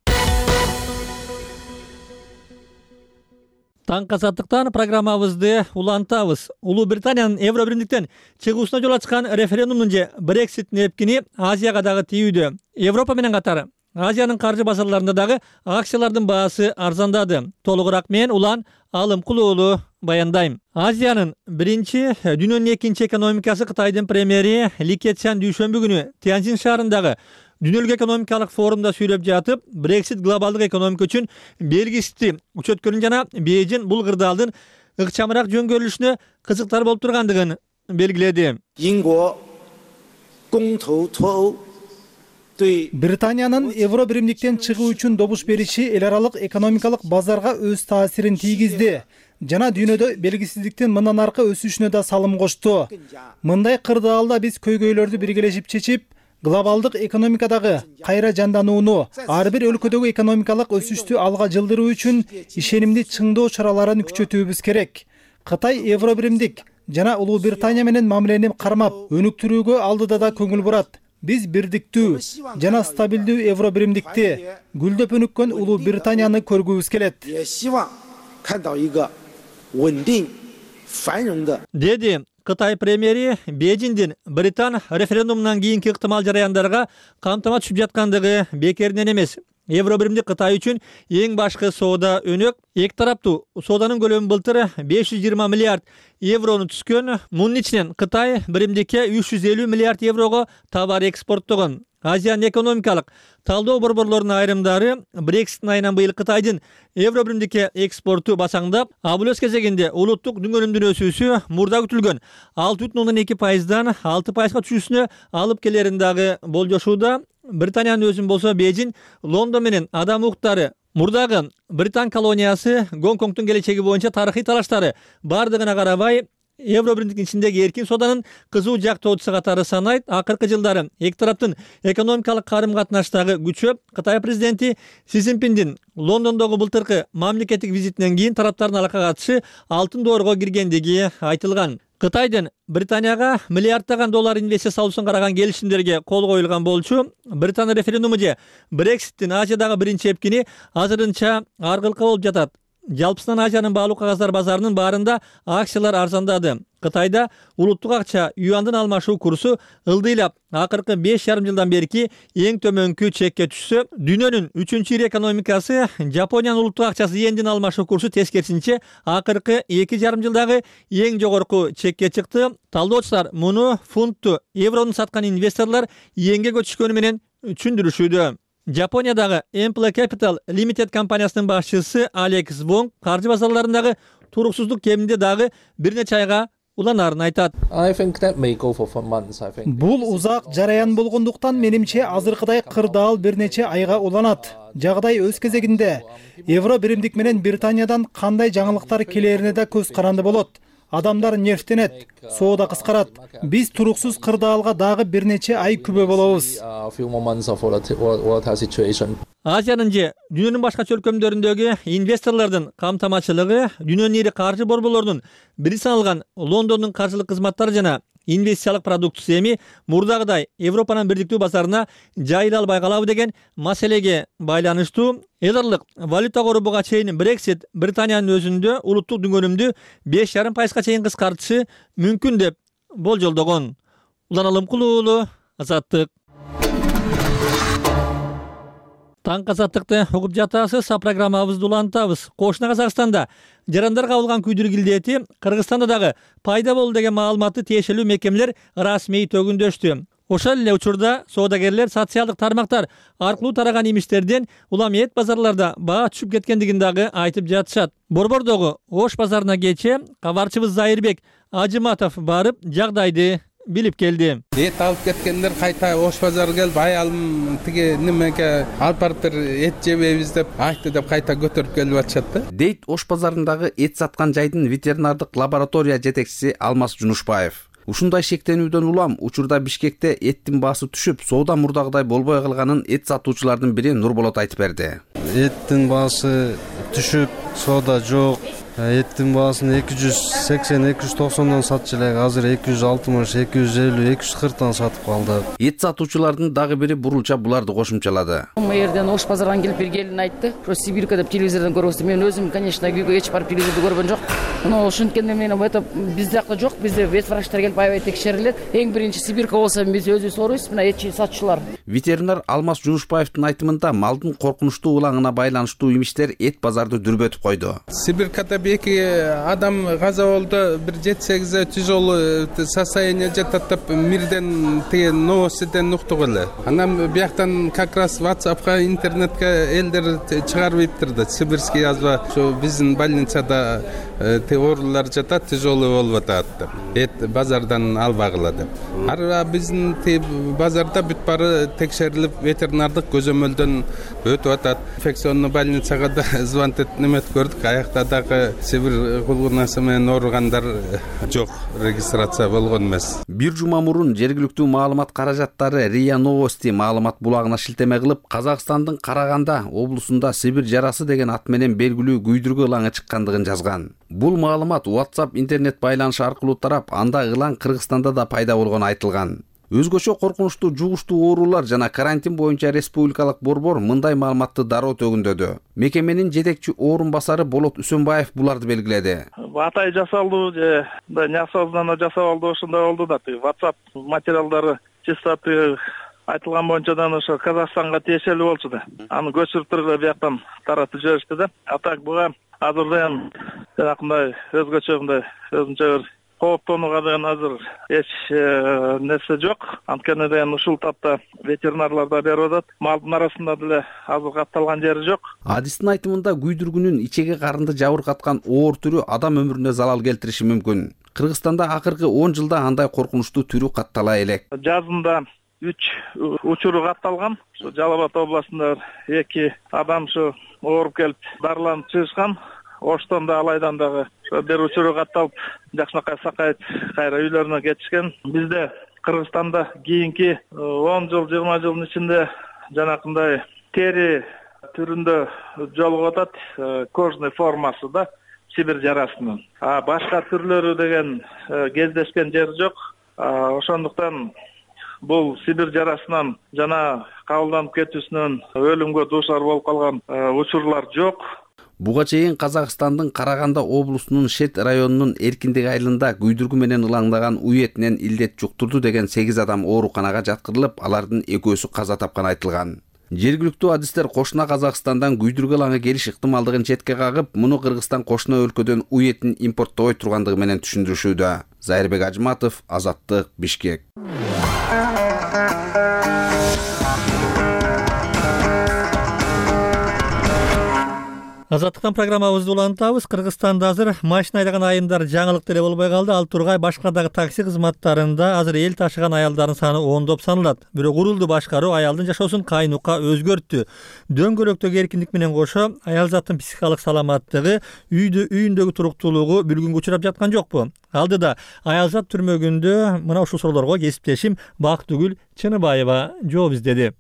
Таң казаттыктан программабызды улантабыз. Улуу Британиянын Евро биримдиктен чыгуусуна жол ачкан референдумдун же Брекситтин эпкини Азияга дагы тийүүдө. Европа менен катар Азиянын каржы базарларында дагы акциялардын баасы арзандады. Толугураак мен Улан Алымкул уулу баяндайм. Азиянын биринчи, дүйнөнүн экинчи экономикасы Кытайдын премьери Ли Кечан дүйшөмбү күнү Тяньцзин шаарындагы Дүнөлүк экономикалык форумда сүйлөп жатып, Брексит глобалдык экономика үчүн белгисиз өчөткөнүн жана Бейжин бул кырдаалдын ыкчамыраак жөнгөрүлүшүнө кызыктар болуп тургандыгын белгиледи. Британиянын Евро биримдиктен чыгуу үчүн добуш бериши эл аралык экономикалык базарга өз таасирин тийгизди жана дүйнөдө белгисиздиктин мындан аркы өсүшүнө да салым кошту. Мындай кырдаалда биз көйгөйлөрдү биргелешип чечип, глобалдык экономикадагы кайра жанданууну, ар бир өлкөдөгү экономикалык өсүштү алга жылдыруу үчүн ишенимди чыңдоо чараларын күчөтүүбүз керек. Кытай Евро биримдик жана Улуу Британия менен мамилени кармап, өнүктүрүүгө алдыда да көңүл бурат. Биз бирдиктүү жана стабилдүү Евро биримдикти, гүлдөп өнүккөн Улуу Британияны көргүбүз келет. Деди Кытай премьери Бейжиндин Британ референдумунан кийинки ыктымал жараяндарга камтама түшүп жаткандыгы бекеринен эмес. Евро биримдик Кытай үчүн эң башкы соода өнөк. Эки тараптуу сооданын көлөмү былтыр беш жүз жыйырма миллиард еврону түзгөн. Мунун ичинен Кытай биримдикке үч жүз элүү миллиард еврого товар экспорттогон. Азиянын экономикалык талдоо борборлорунун айрымдары Брекситтин айынан быйыл Кытайдын Евро биримдикке экспорту басаңдап, а бул өз кезегинде улуттук дүң өнүмдүн өсүүсү мурда күтүлгөн алты бүтүн ондон эки пайыздан алты пайызга түшүүсүнө алып келерин дагы болжошууда. Британиянын өзүн болсо Бейжин Лондон менен адам укуктары, мурдагы Британ колониясы, Гонконгдун келечеги боюнча тарыхый талаштары бардыгына карабай Евро биримдиктин ичиндеги эркин сооданын кызуу жактоочусу катары санайт. Акыркы жылдары эки тараптын экономикалык карым-катнаштагы күчөп, Кытай президенти Си Цзиньпиндин Лондондогу былтыркы мамлекеттик визитинен кийин тараптардын алакка катышы алтын доорго киргендиги айтылган. Кытайдын Британияга миллиарддаган доллар инвестиция салуусун караган келишимдерге кол коюлган болчу. Британ референдуму же Брекситтин Азиядагы биринчи эпкини азырынча ар кылка болуп жатат. Жалпысынан Азиянын баалуу кагаздар базарынын баарында акциялар арзандады. Кытайда улуттук акча юандын алмашуу курсу ылдыйлап акыркы беш жарым жылдан берки эң төмөнкү чекке түшсө, дүйнөнүн үчүнчү ири экономикасы Жапониянын улуттук акчасы йендин алмашуу курсу тескерисинче акыркы эки жарым жылдагы эң жогорку чекке чыкты. Талдоочулар муну фунтту еврону саткан инвесторлор йенге көчүшкөнү менен түшүндүрүшүүдө. Жапониядагы Ample Capital Limited компаниясынын башчысы Алекс Вонг каржы базарларындагы туруксуздук кеминде дагы бир нече айга уланарын айтат. Бул узак жараян болгондуктан менимче азыркыдай кырдаал бир нече айга уланат. Жагдай өз кезегинде Евро биримдик менен Британиядан кандай жаңылыктар келерине да көз каранды болот. Адамдар нервтенет, соода кыскарат. Биз туруксуз кырдаалга дагы бир нече ай күбө болобуз. Азиянын же дүйнөнүн башка чөлкөмдөрүндөгү инвесторлордун камтамачылыгы, дүйнөнүн ири каржы борборлорунун бири саналган Лондондун каржылык кызматтары жана инвестициялык продукция эми мурдагыдай Европанын бирдиктүү базарына жайыла албай калабы деген маселеге байланыштуу эл аралык валюта корубуга чейин Brexit Британиянын өзүндө улуттук дүнгөнүмдү беш жарым пайызга чейин кыскартышы мүмкүн деп болжолдогон. Улан Алымкул уулу, Азаттык. Таң азаттыкты угуп жатасыз, а программабызды улантабыз. Кошуна Казакстанда жарандар кабылган күйдүрүк илдети Кыргызстанда дагы пайда болду деген маалыматты тиешелүү мекемелер расмий төгүндөштү. Ошол эле учурда соодагерлер социалдык тармактар аркылуу тараган имиштерден улам эт базарларда баа түшүп кеткендигин дагы айтып жатышат. Борбордогу Ош базарына кечээ кабарчыбыз Зайырбек Ажыматов барып жагдайды билип келди. Эт алып кеткендер кайта Ош базарга келип аялым тиги немеге алып барып бер эт жебейбиз деп айтты деп кайта көтөрүп келип атышат да. Дейт Ош базарындагы эт саткан жайдын ветеринардык лаборатория жетекчиси Алмаз Жунушбаев. Ушундай шектенүүдөн улам учурда Бишкекте эттин баасы түшүп, соода мурдагыдай болбой калганын эт сатуучулардын бири Нурболот айтып берди. Эттин баасы түшүп, соода жок. Эттин баасын эки жүз сексен эки жүз токсондон сатчу элек, азыр эки жүз алтымыш, эки жүз элүү, эки жүз кырктан сатып калдык. Эт сатуучулардын дагы бири бурулча буларды кошумчалады. Мэрден Ош базардан келип бир келин айтты. Про Сибирка деп телевизордон көрөбүз. Мен өзүм, конечно, күйгө эч барып телевизорду көргөн жок. Но ошонткенде мен это бизде жакта жок, бизде вет врачтар келип аябай текшерилет. Эң биринчи Сибирка болсо биз өзүбүз ооруйбуз, мына эт сатчулар. Ветеринар Алмаз Жунушбаевдин айтымында малдын коркунучтуу улаңына байланыштуу имиштер эт базарды дүрбөтүп койду. Сибиркада эки адам каза болду, бир жети сегиз тяжелый состояние жатат деп мирден тиги новостьден уктук эле. Анан бияктан как раз WhatsApp'ка, интернетке элдер чыгарып ийиптирди. Сибирский язва ошо биздин больницада оорулар жатат, тяжелый болуп атат деп. Эт базардан албагыла деп. Ар биздин базарда бүт баары текшерилип, ветеринардык көзөмөлдөн өтүп атат. Инфекционный больницага да звонтет немет көрдүк. Аякта дагы Сибир кулгунасы менен ооругандар жок, регистрация болгон эмес. Бир жума мурун жергиликтүү маалымат каражаттары РИА Новости маалымат булагына шилтеме кылып, Казакстандын Караганда облусунда Сибир жарасы деген ат менен белгилүү күйдүргү ылаңы чыккандыгын жазган. Бул маалымат WhatsApp интернет байланышы аркылуу тарап, анда ылаң Кыргызстанда да пайда болгону айтылган. Өзгөчө коркунучтуу жугуштуу оорулар жана карантин боюнча республикалык борбор мындай маалыматты дароо төгүндөдү. Мекеменин жетекчи орун басары Болот Үсөнбаев буларды белгиледи. Атай жасалды же неосознанно жасалды, ошондой болду да. WhatsApp материалдары чисто айтылган боюнчадан ошо Казакстанга тиешелүү болчу да. Аны көчүрүп турган бияктан таратып жиберишти да. А так буга азырда эми жанакындай өзгөчө мындай өзүнчө бир кооптонууга деген азыр эч нерсе жок. Анткени деген ушул тапта ветеринарлар да берип атат. Малдын арасында деле азыр катталган жери жок. Адистин айтымында күйдүргүнүн ичеги карынды жабыркаткан оор түрү адам өмүрүнө залал келтириши мүмкүн. Кыргызстанда акыркы он жылда андай коркунучтуу түрү каттала элек. Жазында үч учуру катталган. Ушу Жалал Абад областында эки адам ушу ооруп келип дарыланып чыгышкан. Оштон да алайдан дагы бир учуру катталып, жакшынакай сакайып кайра үйлөрүнө кетишкен. Бизде Кыргызстанда кийинки он жыл, жыйырма жылдын ичинде жанакындай тери түрүндө жолугуп атат, кожный формасы да Сибир жарасынын. А башка түрлөрү деген кездешкен жер жок. Ошондуктан бул Сибир жарасынан жана кабылданып кетүүсүнөн өлүмгө дуушар болуп калган учурлар жок. Буга чейин Казакстандын Караганда облусунун Шет районунун Эркиндик айылында күйдүргү менен ылаңдаган уетинен илдет жуктурду деген сегиз адам ооруканага жаткырылып, алардын экөөсү каза тапканы айтылган. Жергиликтүү адистер кошуна Казакстандан күйдүргү ылаңы келиш ыктымалдыгын четке кагып, муну Кыргызстан кошуна өлкөдөн уетин импорттобой тургандыгы менен түшүндүрүшүүдө. Зайырбек Ажыматов, Азаттык, Бишкек. Азаттыктан программабызды улантабыз. Кыргызстанда азыр машина айдаган айымдар жаңылык деле болбой калды. Ал тургай башка дагы такси кызматтарында азыр эл ташыган аялдардын саны ондоп саналат. Бирок урулду башкаруу аялдын жашоосун кайнукка өзгөрттү. Дөңгөлөктөгү эркиндик менен кошо аял заттын психикалык саламаттыгы, үйдө үйүндөгү туруктуулугу бүлгүнгө учурап жаткан жокпу? Алдыда аял зат түрмөгүндө мына ушул суроолорго кесиптешим Бактыгүл Чыныбаева жооп издеди.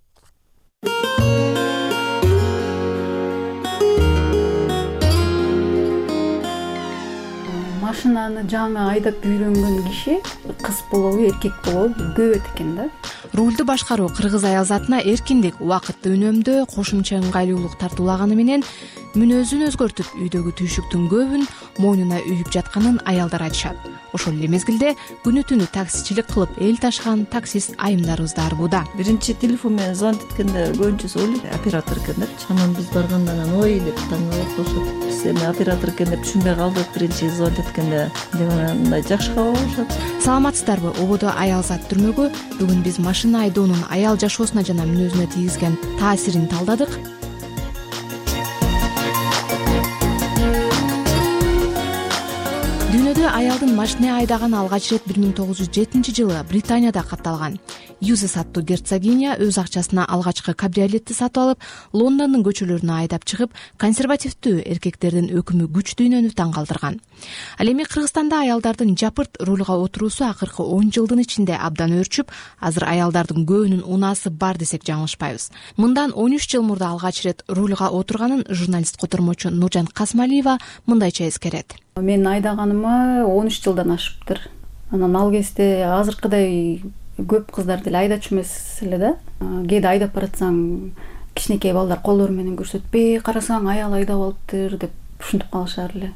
машинаны жаңы айдап үйрөнгөн киши кыз болобу эркек болобу көп экен да. Рулду башкаруу кыргыз аял затына эркиндик, убакытты үнөмдөө, кошумча ыңгайлуулук тартуулаганы менен мүнөзүн өзгөртүп, үйдөгү түйшүктүн көбүн мойнуна үйүп жатканын аялдар айтышат. Ошол эле мезгилде күнү түнү таксичилик кылып эл ташыган таксист айымдарыбыз да арбууда. Биринчи телефон менен звонить эткенде көбүнчөсү ойлойт оператор экендерчи. Анан биз барганда анан ой деп таң калышат. Биз эми оператор экен деп түшүнбөй калдык. Биринчи звонить эткенде деп мындай жакшы кабыл алышат. Саламатсыздарбы? Ободо аял зат түрмөгү бүгүн биз машина айдоонун аял жашоосуна жана мүнөзүнө тийгизген таасирин талдадык. Дүйнөдө аялдын машина айдаганы алгач ирет бир миң тогуз жүз жетинчи жылы Британияда катталган. Юзес аттуу герцогиня өз акчасына алгачкы кабриолетти сатып алып, Лондондун көчөлөрүнө айдап чыгып, консервативдүү эркектердин өкүмү күч дүйнөнү таң калтырган. Ал эми Кыргызстанда аялдардын жапырт рулга отуруусу акыркы он жылдын ичинде абдан өөрчүп, азыр аялдардын көбүнүн унаасы бар десек жаңылышпайбыз. Мындан он үч жыл мурда алгач ирет рулга отурганын журналист котормочу Нуржан Касмалиева мындайча эскерет. Мен айдаганыма он үч жылдан ашыптыр. Анан ал кезде азыркыдай көп кыздар деле айдачу эмес эле да. Кээде айдап баратсаң, кичинекей балдар колдору менен көрсөтпөй, карасаң аял айдап алыптыр деп ушинтип калышар эле.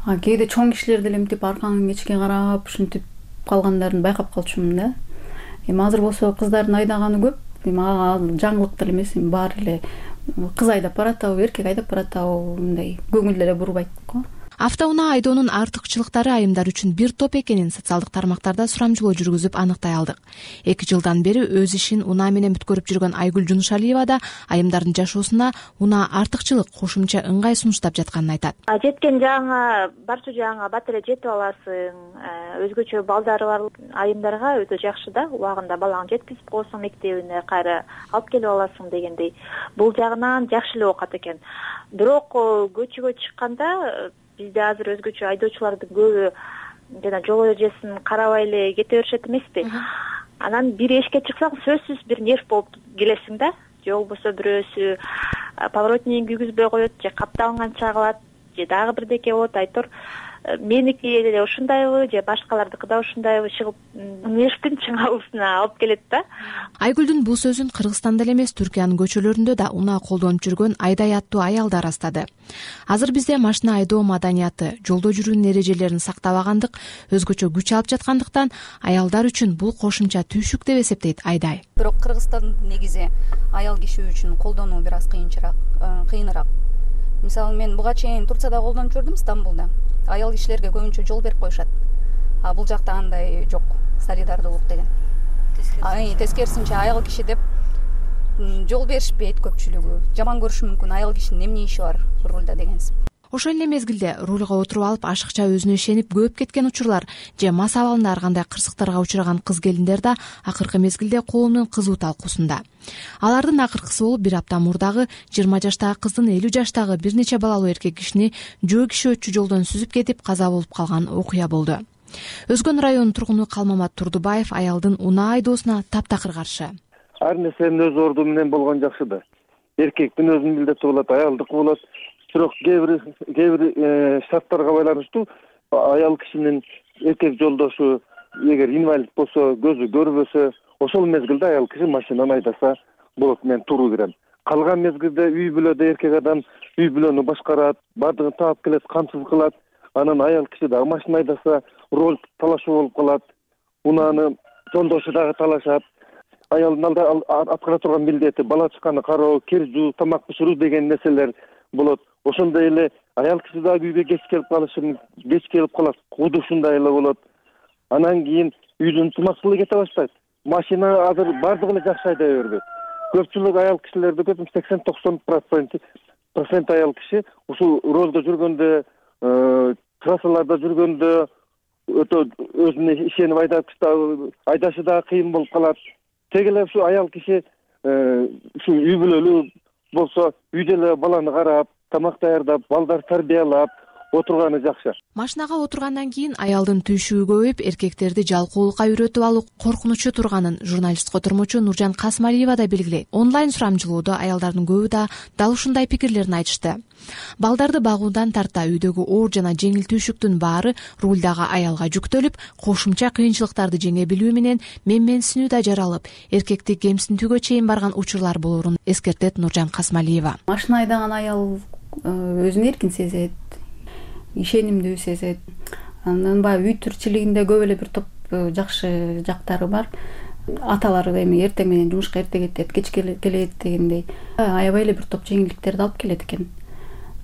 А кээде чоң кишилер деле мынтип аркаңан кечке карап ушинтип калгандарын байкап калчумун да. Эми азыр болсо кыздардын айдаганы көп. Эми ага жаңылык деле эмес, эми баары эле кыз айдап баратабы, эркек айдап баратабы мындай көңүл эле бурбайт го. Автоунаа айдоонун артыкчылыктары айымдар үчүн бир топ экенин социалдык тармактарда сурамжылоо жүргүзүп аныктай алдык. эки жылдан бери өз ишин унаа менен бүткөрүп жүргөн Айгүл Жунушалиева да айымдардын жашоосуна унаа артыкчылык, кошумча ыңгай сунуштап жатканын айтат. Жеткен жагыңа барчу жагыңа бат эле жетип аласың. Өзгөчө балдары бар айымдарга өтө жакшы да. Убагында балаңды жеткизип коесуң мектебине, кайра алып келип аласың дегендей. Бул жагынан жакшы эле окат экен. Бирок көчөгө чыкканда бизде азыр өзгөчө айдоочулардын көбү жана жол эрежесин карабай эле кете беришет эмеспи? Анан бир эшикке чыксаң сөзсүз бир нерв болуп келесиң да. Же болбосо бирөөсү поворотнигин күйгүзбөй коет, же капталганча кылат, же дагы бирдеке болот, айтор. Меники эле ушундайбы, же башкалардыкы да ушундайбы чыгып, нервтин чыңалуусуна алып келет да. Айгүлдүн бул сөзүн Кыргызстанда эле эмес, Түркиянын көчөлөрүндө да унаа колдонуп жүргөн айдай аттуу аялдар астады. Азыр бизде машина айдоо маданияты, жолдо жүрүүнүн эрежелерин сактабагандык, өзгөчө күч алып жаткандыктан аялдар үчүн бул кошумча түйшүк деп эсептейт Айдай. Бирок Кыргызстанда негизи аял киши үчүн колдонуу бир аз кыйынчыраак, кыйыныраак. Мисалы мен буга чейин Турцияда колдонуп жүрдүм, Стамбулда. Аял кишилерге көбүнчө жол берип коюшат. А бул жакта андай жок, солидардуулук деген. Тескерисинче аял киши деп жол беришпейт көпчүлүгү. Жаман көрүшү мүмкүн, аял кишинин эмне иши бар рулда дегенсип. Ошол эле мезгилде рулга отуруп алып ашыкча өзүнө ишенип көп кеткен учурлар же мас абалында ар кандай кырсыктарга учураган кыз келиндер да акыркы мезгилде коомдун кызуу талкуусунда. Алардын акыркысы болуп бир апта мурдагы жыйырма жаштагы кыздын элүү жаштагы бир нече балалуу эркек кишини жөө киши өтчү жолдон сүзүп кетип каза болуп калган окуя болду. Өзгөн районунун тургуну Калмамат Турдубаев аялдын унаа айдоосуна таптакыр каршы. Ар нерсенин өз орду менен болгон жакшы да. Эркектин өзүнүн милдети болот, аялдыкы болот. Бирок кээ бир кээ бир шарттарга байланыштуу аял кишинин эркек жолдошу эгер инвалид болсо, көзү көрбөсө, ошол мезгилде аял киши машинаны айдаса болот, мен туура берем. Калган мезгилде үй бүлөдө эркек адам үй бүлөнү башкарат, бардыгын таап келет, камсыз кылат. Анан аял киши дагы машина айдаса роль талашуу болуп калат. Унааны жолдошу дагы талашат. Аялдын алда аткара турган милдети бала чаканы кароо, кир жуу, тамак бышыруу деген нерселер болот. Ошондой эле аял киши дагы үйгө кеч келип калышы, кеч келип калат, куду ушундай эле болот. Анан кийин үйдүн тумакчылыгы кете баштайт. Машина азыр бардыгы эле жакшы айдай бербейт. Көпчүлүк аял кишилерди көрдүм, сексен токсон процент аял киши ушул ролдо жүргөндө, трассаларда жүргөндө өтө өзүнө ишенип айдап айдашы дагы кыйын болуп калат. Теги эле ушу аял киши ушу үй бүлөлүү болсо, үйдө эле баланы карап, тамак даярдап, балдар тарбиялап, отурганы жакшы. Машинага отургандан кийин аялдын түйшүгү көбөйүп, эркектерди жалкоолукка үйрөтүп алуу коркунучу турганын журналист котормочу Нуржан Касмалиева да белгилейт. Онлайн сурамжылоодо аялдардын көбү да дал ушундай пикирлерин айтышты. Балдарды багуудан тарта үйдөгү оор жана жеңил түйшүктүн баары рулдагы аялга жүктөлүп, кошумча кыйынчылыктарды жеңе билүү менен менменсинүү да жаралып, эркекти кемсинтүүгө чейин барган учурлар болоорун эскертет Нуржан Касмалиева. Машина айдаган аял өзүн эркин сезет, ишенимдүү сезет. Анан баягы үй тирчилигинде көп эле бир топ жакшы жактары бар. Аталары эми эртең менен жумушка эрте кетет, кеч келет дегендей аябай эле бир топ жеңилдиктерди алып келет экен.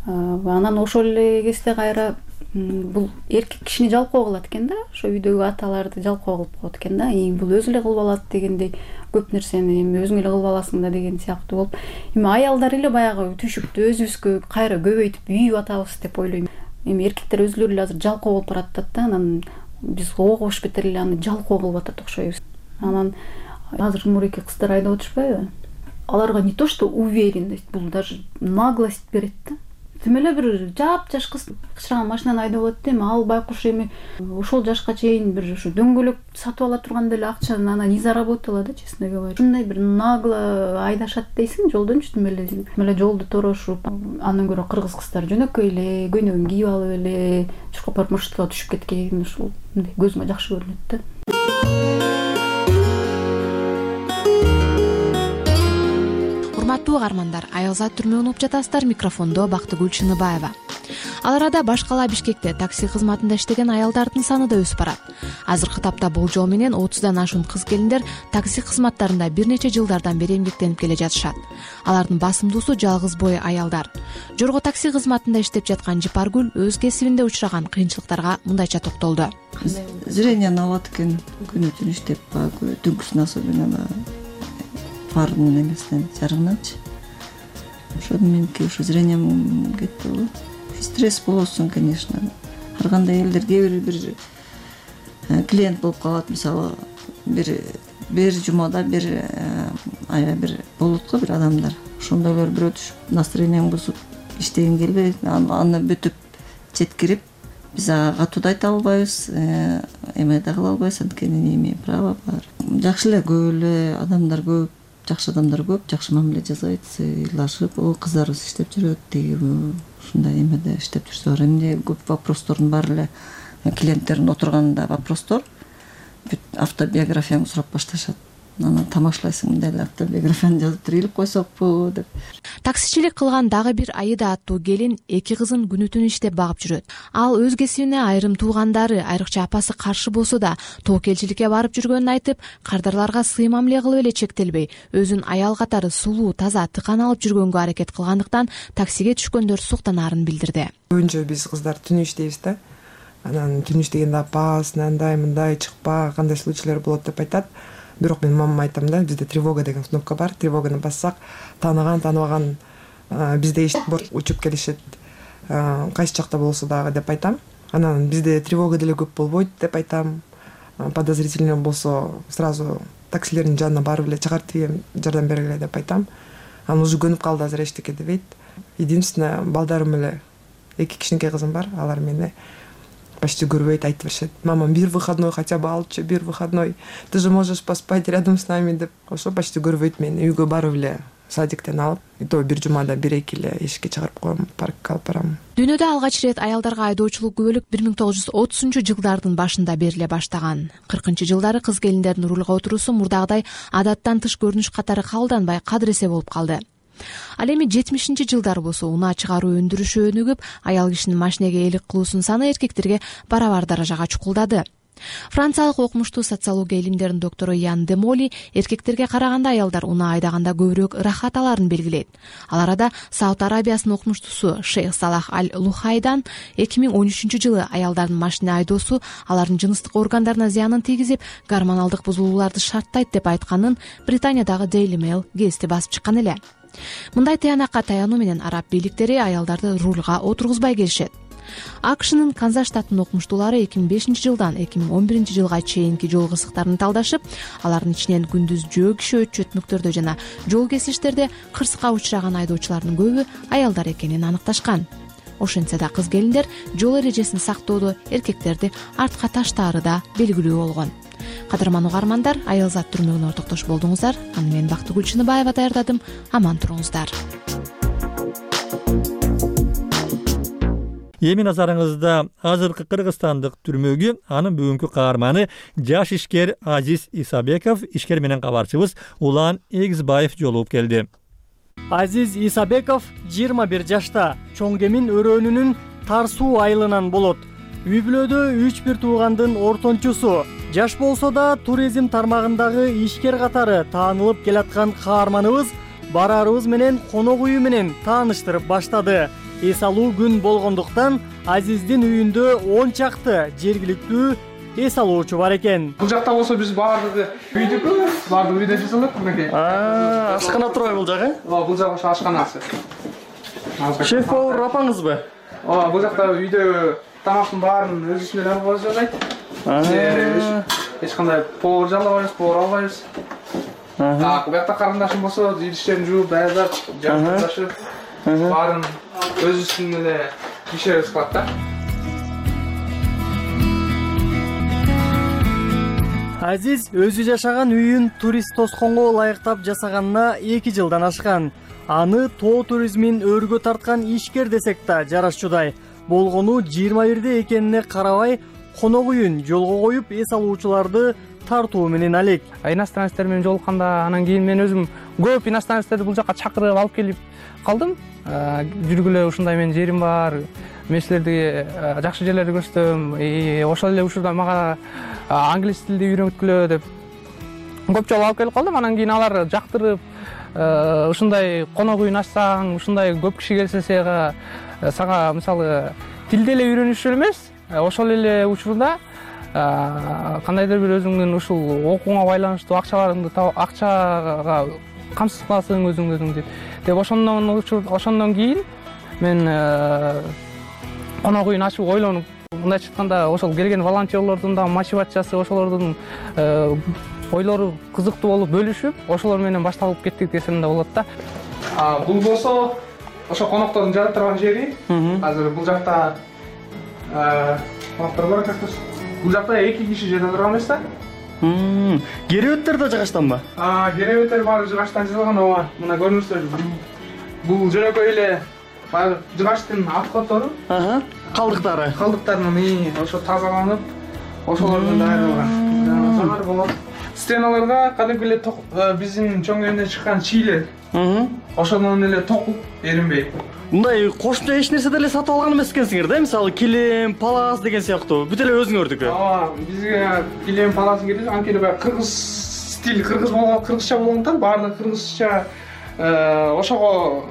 Анан ошол эле кезде кайра бул эркек кишини жалкоо кылат экен да, ошо үйдөгү аталарды жалкоо кылып коет экен да. Бул өзү эле кылып алат дегендей, көп нерсени эми өзүң эле кылып аласың да деген сыяктуу болуп, эми аялдар эле баягы түйшүктү өзүбүзгө кайра көбөйтүп үйүп атабыз деп ойлойм. Эми эркектер өзүлөрү эле азыр жалкоо болуп баратат да, анан биз огош бетер эле аны жалкоо кылып атат окшойбуз. Анан азыр мурунки кыздар айдап отурушпайбы? Аларга не то что уверенность, бул даже наглость берет да. Тим эле бир жап-жаш кыз кычыраган машинаны айдап алат да, эми ал байкуш эми ошол жашка чейин бир ушу дөңгөлөк сатып ала турганда эле акчаны анан не заработала да, честно говоря. Ушундай бир нагло айдашат дейсиң жолдончу, тим эле тим эле жолду торошуп, андан көрө кыргыз кыздар жөнөкөй эле көйнөгүн кийип алып эле чуркап барып маршруткага түшүп кеткен, ушул көзүмө жакшы көрүнөт да. Урматтуу угармандар, аялзат түрмө угуп жатасыздар. Микрофондо Бактыгүл Чыныбаева. Ал арада баш кала Бишкекте такси кызматында иштеген аялдардын саны да өсүп барат. Азыркы тапта болжол менен отуздан ашуун кыз келиндер такси кызматтарында бир нече жылдардан бери эмгектенип келе жатышат. Алардын басымдуусу жалгыз бой аялдар. Жорго такси кызматында иштеп жаткан Жипаргүл өз кесибинде учураган кыйынчылыктарга мындайча токтолду. Зрениени алат экен, күнү түн иштеп, түнкүсүн особенно фардын эмесинен жарыгынанчы. Ошону меники ушу зрением кетти болот. Стресс болосуң, конечно. Ар кандай элдер кээ бир бир клиент болуп калат, мисалы, бир бир жумада бир аябай бир болот го бир адамдар. Ошондойлор бирөө түшүп, настроениең бузуп, иштегин келбей, аны бүтүп четкирип, биз ага катуу да айта албайбыз, эме да кыла албайбыз, анткени не имеем права бар. Жакшы эле көп эле адамдар көп, жакшы адамдар көп, жакшы мамиле жасайт, ыйлашып, о кыздарыбыз иштеп жүрөт, тиги ушундай эмеде иштеп жүрсө, эмне көп вопростордун баары эле клиенттердин отурганында вопростор, бүт автобиографияңды сурап башташат. Анан тамашлайсың, мындай эле автобиографияны жазып туруп койсокпу деп. Таксичилик кылган дагы бир Аида аттуу келин эки кызын күнү түн иштеп багып жүрөт. Ал өз кесибине айрым туугандары, айрыкча апасы каршы болсо да, тоокелчиликке барып жүргөнүн айтып, кардарларга сый мамиле кылып эле чектелбей, өзүн аял катары сулуу, таза, тыкан алып жүргөнгө аракет кылгандыктан таксиге түшкөндөр суктанаарын билдирди. Көбүнчө биз кыздар түнү иштейбиз да. Анан түнү иштегенде апасы андай мындай чыкпа, кандай случайлар болот деп айтат. Бирок мен мамама айтам да, бизде тревога деген кнопка бар, тревоганы бассак, тааныган, тааныбаган бизде борт учуп келишет, кайсы жакта болсо дагы деп айтам. Анан бизде тревога деле көп болбойт деп айтам. Подозрительный болсо сразу таксилердин жанына барып эле чыгартып жардам бергиле деп айтам. Анан уже көнүп калды, азыр эчтеке дебейт. Единственное, балдарым эле эки кичинекей кызым бар, алар мени почти көрбөйт, айтып беришет. Мама, бир выходной хотя бы алчы, бир выходной. Ты же можешь поспать рядом с нами деп. Ошо почти көрбөйт мени. Үйгө барып эле садиктен алып, и то бир жумада бир-эки эле эшикке чыгарып коем, паркка алып барам. Дүйнөдө алгач ирет аялдарга айдоочулук күбөлүк бир миң тогуз жүз отузунчу жылдардын башында бериле баштаган. кыркынчы жылдары кыз келиндердин рулга отуруусу мурдагыдай адаттан тыш көрүнүш катары кабылданбай, кадыресе болуп калды. Ал эми жетимишинчи жылдар болсо унаа чыгаруу өндүрүшү өнүгүп, аял кишинин машинеге ээлик кылуусунун саны эркектерге барабар даражага чукулдады. Франциялык окумуштуу социология илимдеринин доктору Ян Демоли эркектерге караганда аялдар унаа айдаганда көбүрөөк ырахат аларын белгилейт. Ал арада Сауд Арабиясынын окумуштуусу Шейх Салах Аль-Лухайдан эки миң он үчүнчү жылы аялдардын машина айдоосу алардын жыныстык органдарына зыянын тийгизип, гормоналдык бузулууларды шарттайт деп айтканын Британиядагы Daily Mail гезити басып чыккан эле. Мындай тыянакка таянуу менен араб бийликтери аялдарды рулга отургузбай келишет. АКШнын Канзас штатынын окумуштуулары эки миң бешинчи жылдан эки миң он биринчи жылга чейинки жол кырсыктарын талдашып, алардын ичинен күндүз жөө киши өтчөтмүктөрдө жана жол кесиштерде кырсыкка учураган айдоочулардын көбү аялдар экенин аныкташкан. ошентсе да кыз келиндер жол эрежесин сактоодо эркектерди артка таштаары да белгилүү болгон. Кадырман угармандар, Аял зат түрмөгүнө ортоктош болдуңуздар. Аны мен Бактыгүл Чыныбаева даярдадым. Аман туруңуздар. Эми назарыңызда азыркы Кыргызстандык түрмөгү анын бүгүнкү каарманы жаш ишкер Азиз Исабеков, ишкер менен кабарчыбыз Улан Эгизбаев жолугуп келди. Азиз Исабеков жыйырма бир жашта, чоң кемин өрөөнүнүн Тарсуу айылынан болот. Үй бүлөдө үч бир туугандын ортончусу. Жаш болсо да туризм тармагындагы ишкер катары таанылып келаткан каарманыбыз барарыбыз менен конок үйү менен тааныштырып баштады. Эс алуу күн болгондуктан Азиздин үйүндө он чакты жергиликтүү эс алуучу бар экен. Бул жакта болсо биз баардыгы үйдүкү, баардыгы үйдө жасалат мынакей. Аа, ашкана турбайбы бул жак, э? Ооба, бул жак ошо ашканасы. Шеф-повар апаңызбы? Ооба, бул жакта үйдө тамактын баарын өзүбүз менен алып жасайт. Эч кандай повар жалабайбыз, повар албайбыз. Так, бу жакта карындашым болсо, идиштерин жууп, даярдап, жашташып, баарын өзүбүздүн эле ишибиз кылат да. Азиз өзү жашаган үйүн турист тосконго ылайыктап жасаганына эки жылдан ашкан. Аны тоо туризмин өргө тарткан ишкер десек да жарашчудай. Болгону жыйырма бирде экенине карабай, конок үйүн жолго коюп эс алуучуларды тартуу менен алек. Иностранецтер менен жолукканда, анан кийин мен өзүм көп иностранецтерди бул жака чакырып алып келип калдым. Жүргүлө ушундай менин жерим бар, мен силерди жакшы жерлерди көрсөтөм, ошол эле учурда мага англис тилди үйрөткүлө деп көп жолу алып келип калдым. Анан кийин алар жактырып, ушундай конок үйүн ачсаң, ушундай көп киши келсе сага сага мисалы тилди эле үйрөнүш эмес, ошол эле учурда кандайдыр бир өзүңдүн ушул окууңа байланыштуу акчаларыңды акчага камсыз кыласың өзүң өзүңдү деп ошондон ошондон кийин мен конок үйүн ачып ойлонуп, мындайча айтканда ошол келген волонтерлордун да мотивациясы, ошолордун ойлору кызыктуу болуп бөлүшүп, ошолор менен башталып кеттик десем да болот да. Бул болсо ошо коноктордун жада турган жери. Азыр бул жакта коноктор бар экен. Бул жакта эки киши жата турган эмес да. Керебеттер да жыгачтанбы? А, керебеттер баары жыгачтан жасалган, ооба. Мына көрүңүздөр. Бул жөнөкөй эле баягы жыгачтын отходтору. Ага. Калдыктары. Калдыктарын ошо тазаланып, ошолордон даярдалган. Жанар болот. Стеналарга кадимки эле биздин чоң кеминден чыккан чийлер. Ошондон эле токуп эринбей. Мындай кошумча эч нерсе деле сатып алган эмес экенсиңер да? Мисалы килем, палас деген сыяктуу. Бүт эле өзүңөрдүкү. Ооба, бизге килем, паласын керек. Анткени баягы кыргыз стил, кыргыз болгон, кыргызча болгондуктан баардыгы кыргызча ошого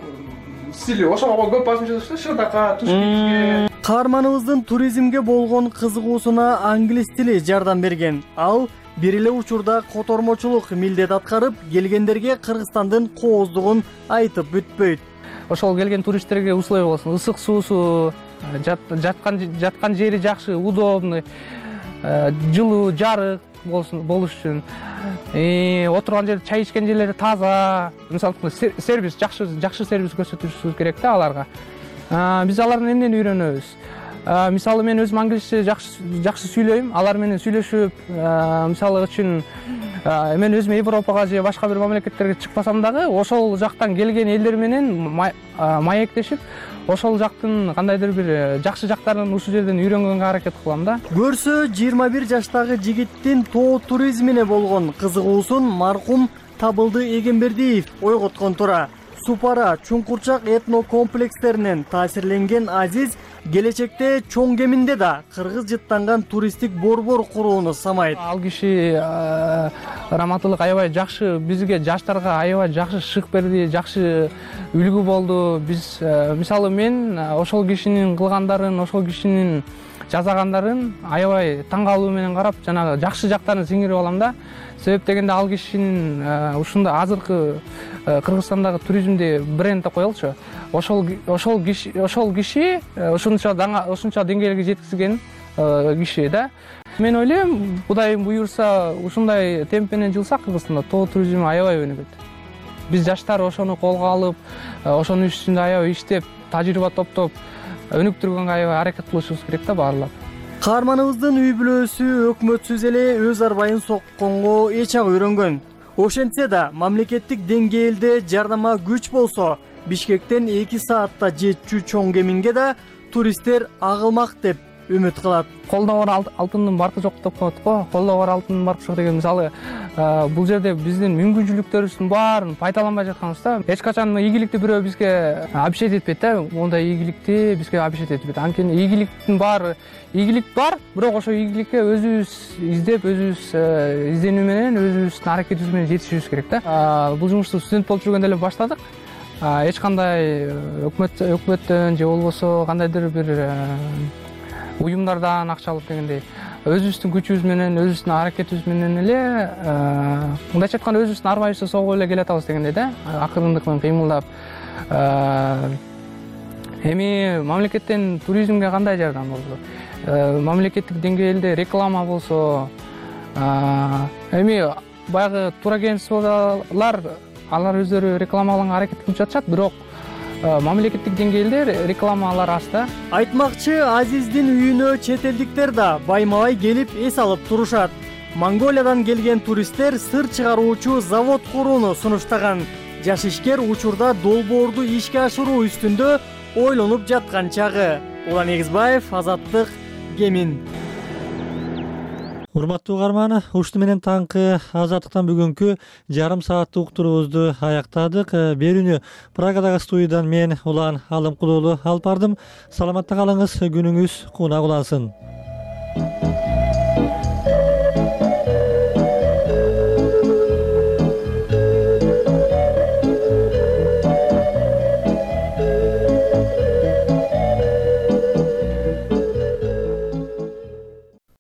стили, ошого көп басымча жасалат, шырдака, тушкичке. Каарманыбыздын туризмге болгон кызыгуусуна англис тили жардам берген. Ал бир эле учурда котормочулук милдет аткарып, келгендерге Кыргызстандын кооздугун айтып бүтпөйт. Ошол келген туристтерге условия болсун, ысык суусу, жаткан жаткан жери жакшы, удобный, жылуу, жарык болсун, болуш үчүн. Отурган жер, чай ичкен жерлери таза. Мисалы сервис, жакшы жакшы сервис көрсөтүшүбүз керек да аларга. Биз алардан эмнени үйрөнөбүз? Мисалы мен өзүм англисче жакшы сүйлөйм, алар менен сүйлөшүп, мисалы үчүн мен өзүм Европага же башка бир мамлекеттерге чыкпасам дагы, ошол жактан келген элдер менен маектешип, ошол жактын кандайдыр бир жакшы жактарын ушул жерден үйрөнгөнгө аракет кылам да. Көрсө жыйырма бир жаштагы жигиттин тоо туризмине болгон кызыгуусун маркум Табылды Эгембердиев ойготкон тура. Супара, Чуңкурчак этно комплекстеринен таасирленген Азиз келечекте чоң кеминде да кыргыз жыттанган туристтик борбор курууну самайт. Ал киши раматылык аябай жакшы, бизге жаштарга аябай жакшы шык берди, жакшы үлгү болду. Биз мисалы мен ошол кишинин кылгандарын, ошол кишинин жасагандарын аябай таң калуу менен карап, жанагы жакшы жактарын сиңирип алам да. Себеп дегенде ал кишинин ушундай азыркы Кыргызстандагы туризмди бренд деп коелучу. Ошол ошол киши ошол киши ушунча ушунча деңгээлге жеткизген киши да. Мен ойлойм, Кудайым буйрса, ушундай темп менен жылсак Кыргызстанда тоо туризми аябай өнүгөт. Биз жаштар ошону колго алып, ошонун үстүндө аябай иштеп, тажрыйба топтоп, өнүктүргөнгө аябай аракет кылышыбыз керек да баарлап. Каарманыбыздын үй бүлөсү өкмөтсүз эле өз арбайын сокконго эч ак үйрөнгөн. Ошентсе да мамлекеттик деңгээлде жардама күч болсо, Бишкектен эки саатта жетчү чоң кеминге да туристтер агылмак деп үмүт кылат. Колдо бар алтындын баркы жок деп коет го. Колдо бар алтындын баркы жок деген мисалы бул жерде биздин мүмкүнчүлүктөрүбүздүн баарын пайдаланбай жатканыбызда эч качан ийгиликти бирөө бизге обещать этпейт да. Мондай ийгиликти бизге обещать этпейт. Анткени ийгиликтин баары ийгилик бар, бирок ошо ийгиликке өзүбүз издеп, өзүбүз изденүү менен, өзүбүздүн аракетибиз менен жетишибиз керек да. Бул жумушту студент болуп жүргөндө эле баштадык. Эч кандай өкмөт өкмөттөн же болбосо кандайдыр бир уюмдардан акча алып дегендей өзүбүздүн күчүбүз менен, өзүбүздүн аракетибиз менен эле мындайча айтканда өзүбүздүн арбайыбызды согуп эле келатабыз дегендей да, акырындык менен кыймылдап. Эми мамлекеттен туризмге кандай жардам болду? Мамлекеттик деңгээлде реклама болсо, эми баягы турагентстволор алар өздөрү рекламалаганга аракет кылып жатышат, бирок мамлекеттик деңгээлде рекламалар аз да. Айтмакчы, Азиздин үйүнө чет элдиктер да байма-бай келип эс алып турушат. Монголиядан келген туристтер сыр чыгаруучу завод курууну сунуштаган. Жаш ишкер учурда долбоорду ишке ашыруу үстүндө ойлонуп жаткан чагы. Улан Эгизбаев, Азаттык, Кемин. Урматтуу угарман, ушуну менен таңкы Азаттыктан бүгүнкү жарым сааттык уктуруубузду аяктадык. Берүүнү Прагадагы студиядан мен Улан Алымкулуулу алып бардым. Саламатта калыңыз, күнүңүз кунак улансын.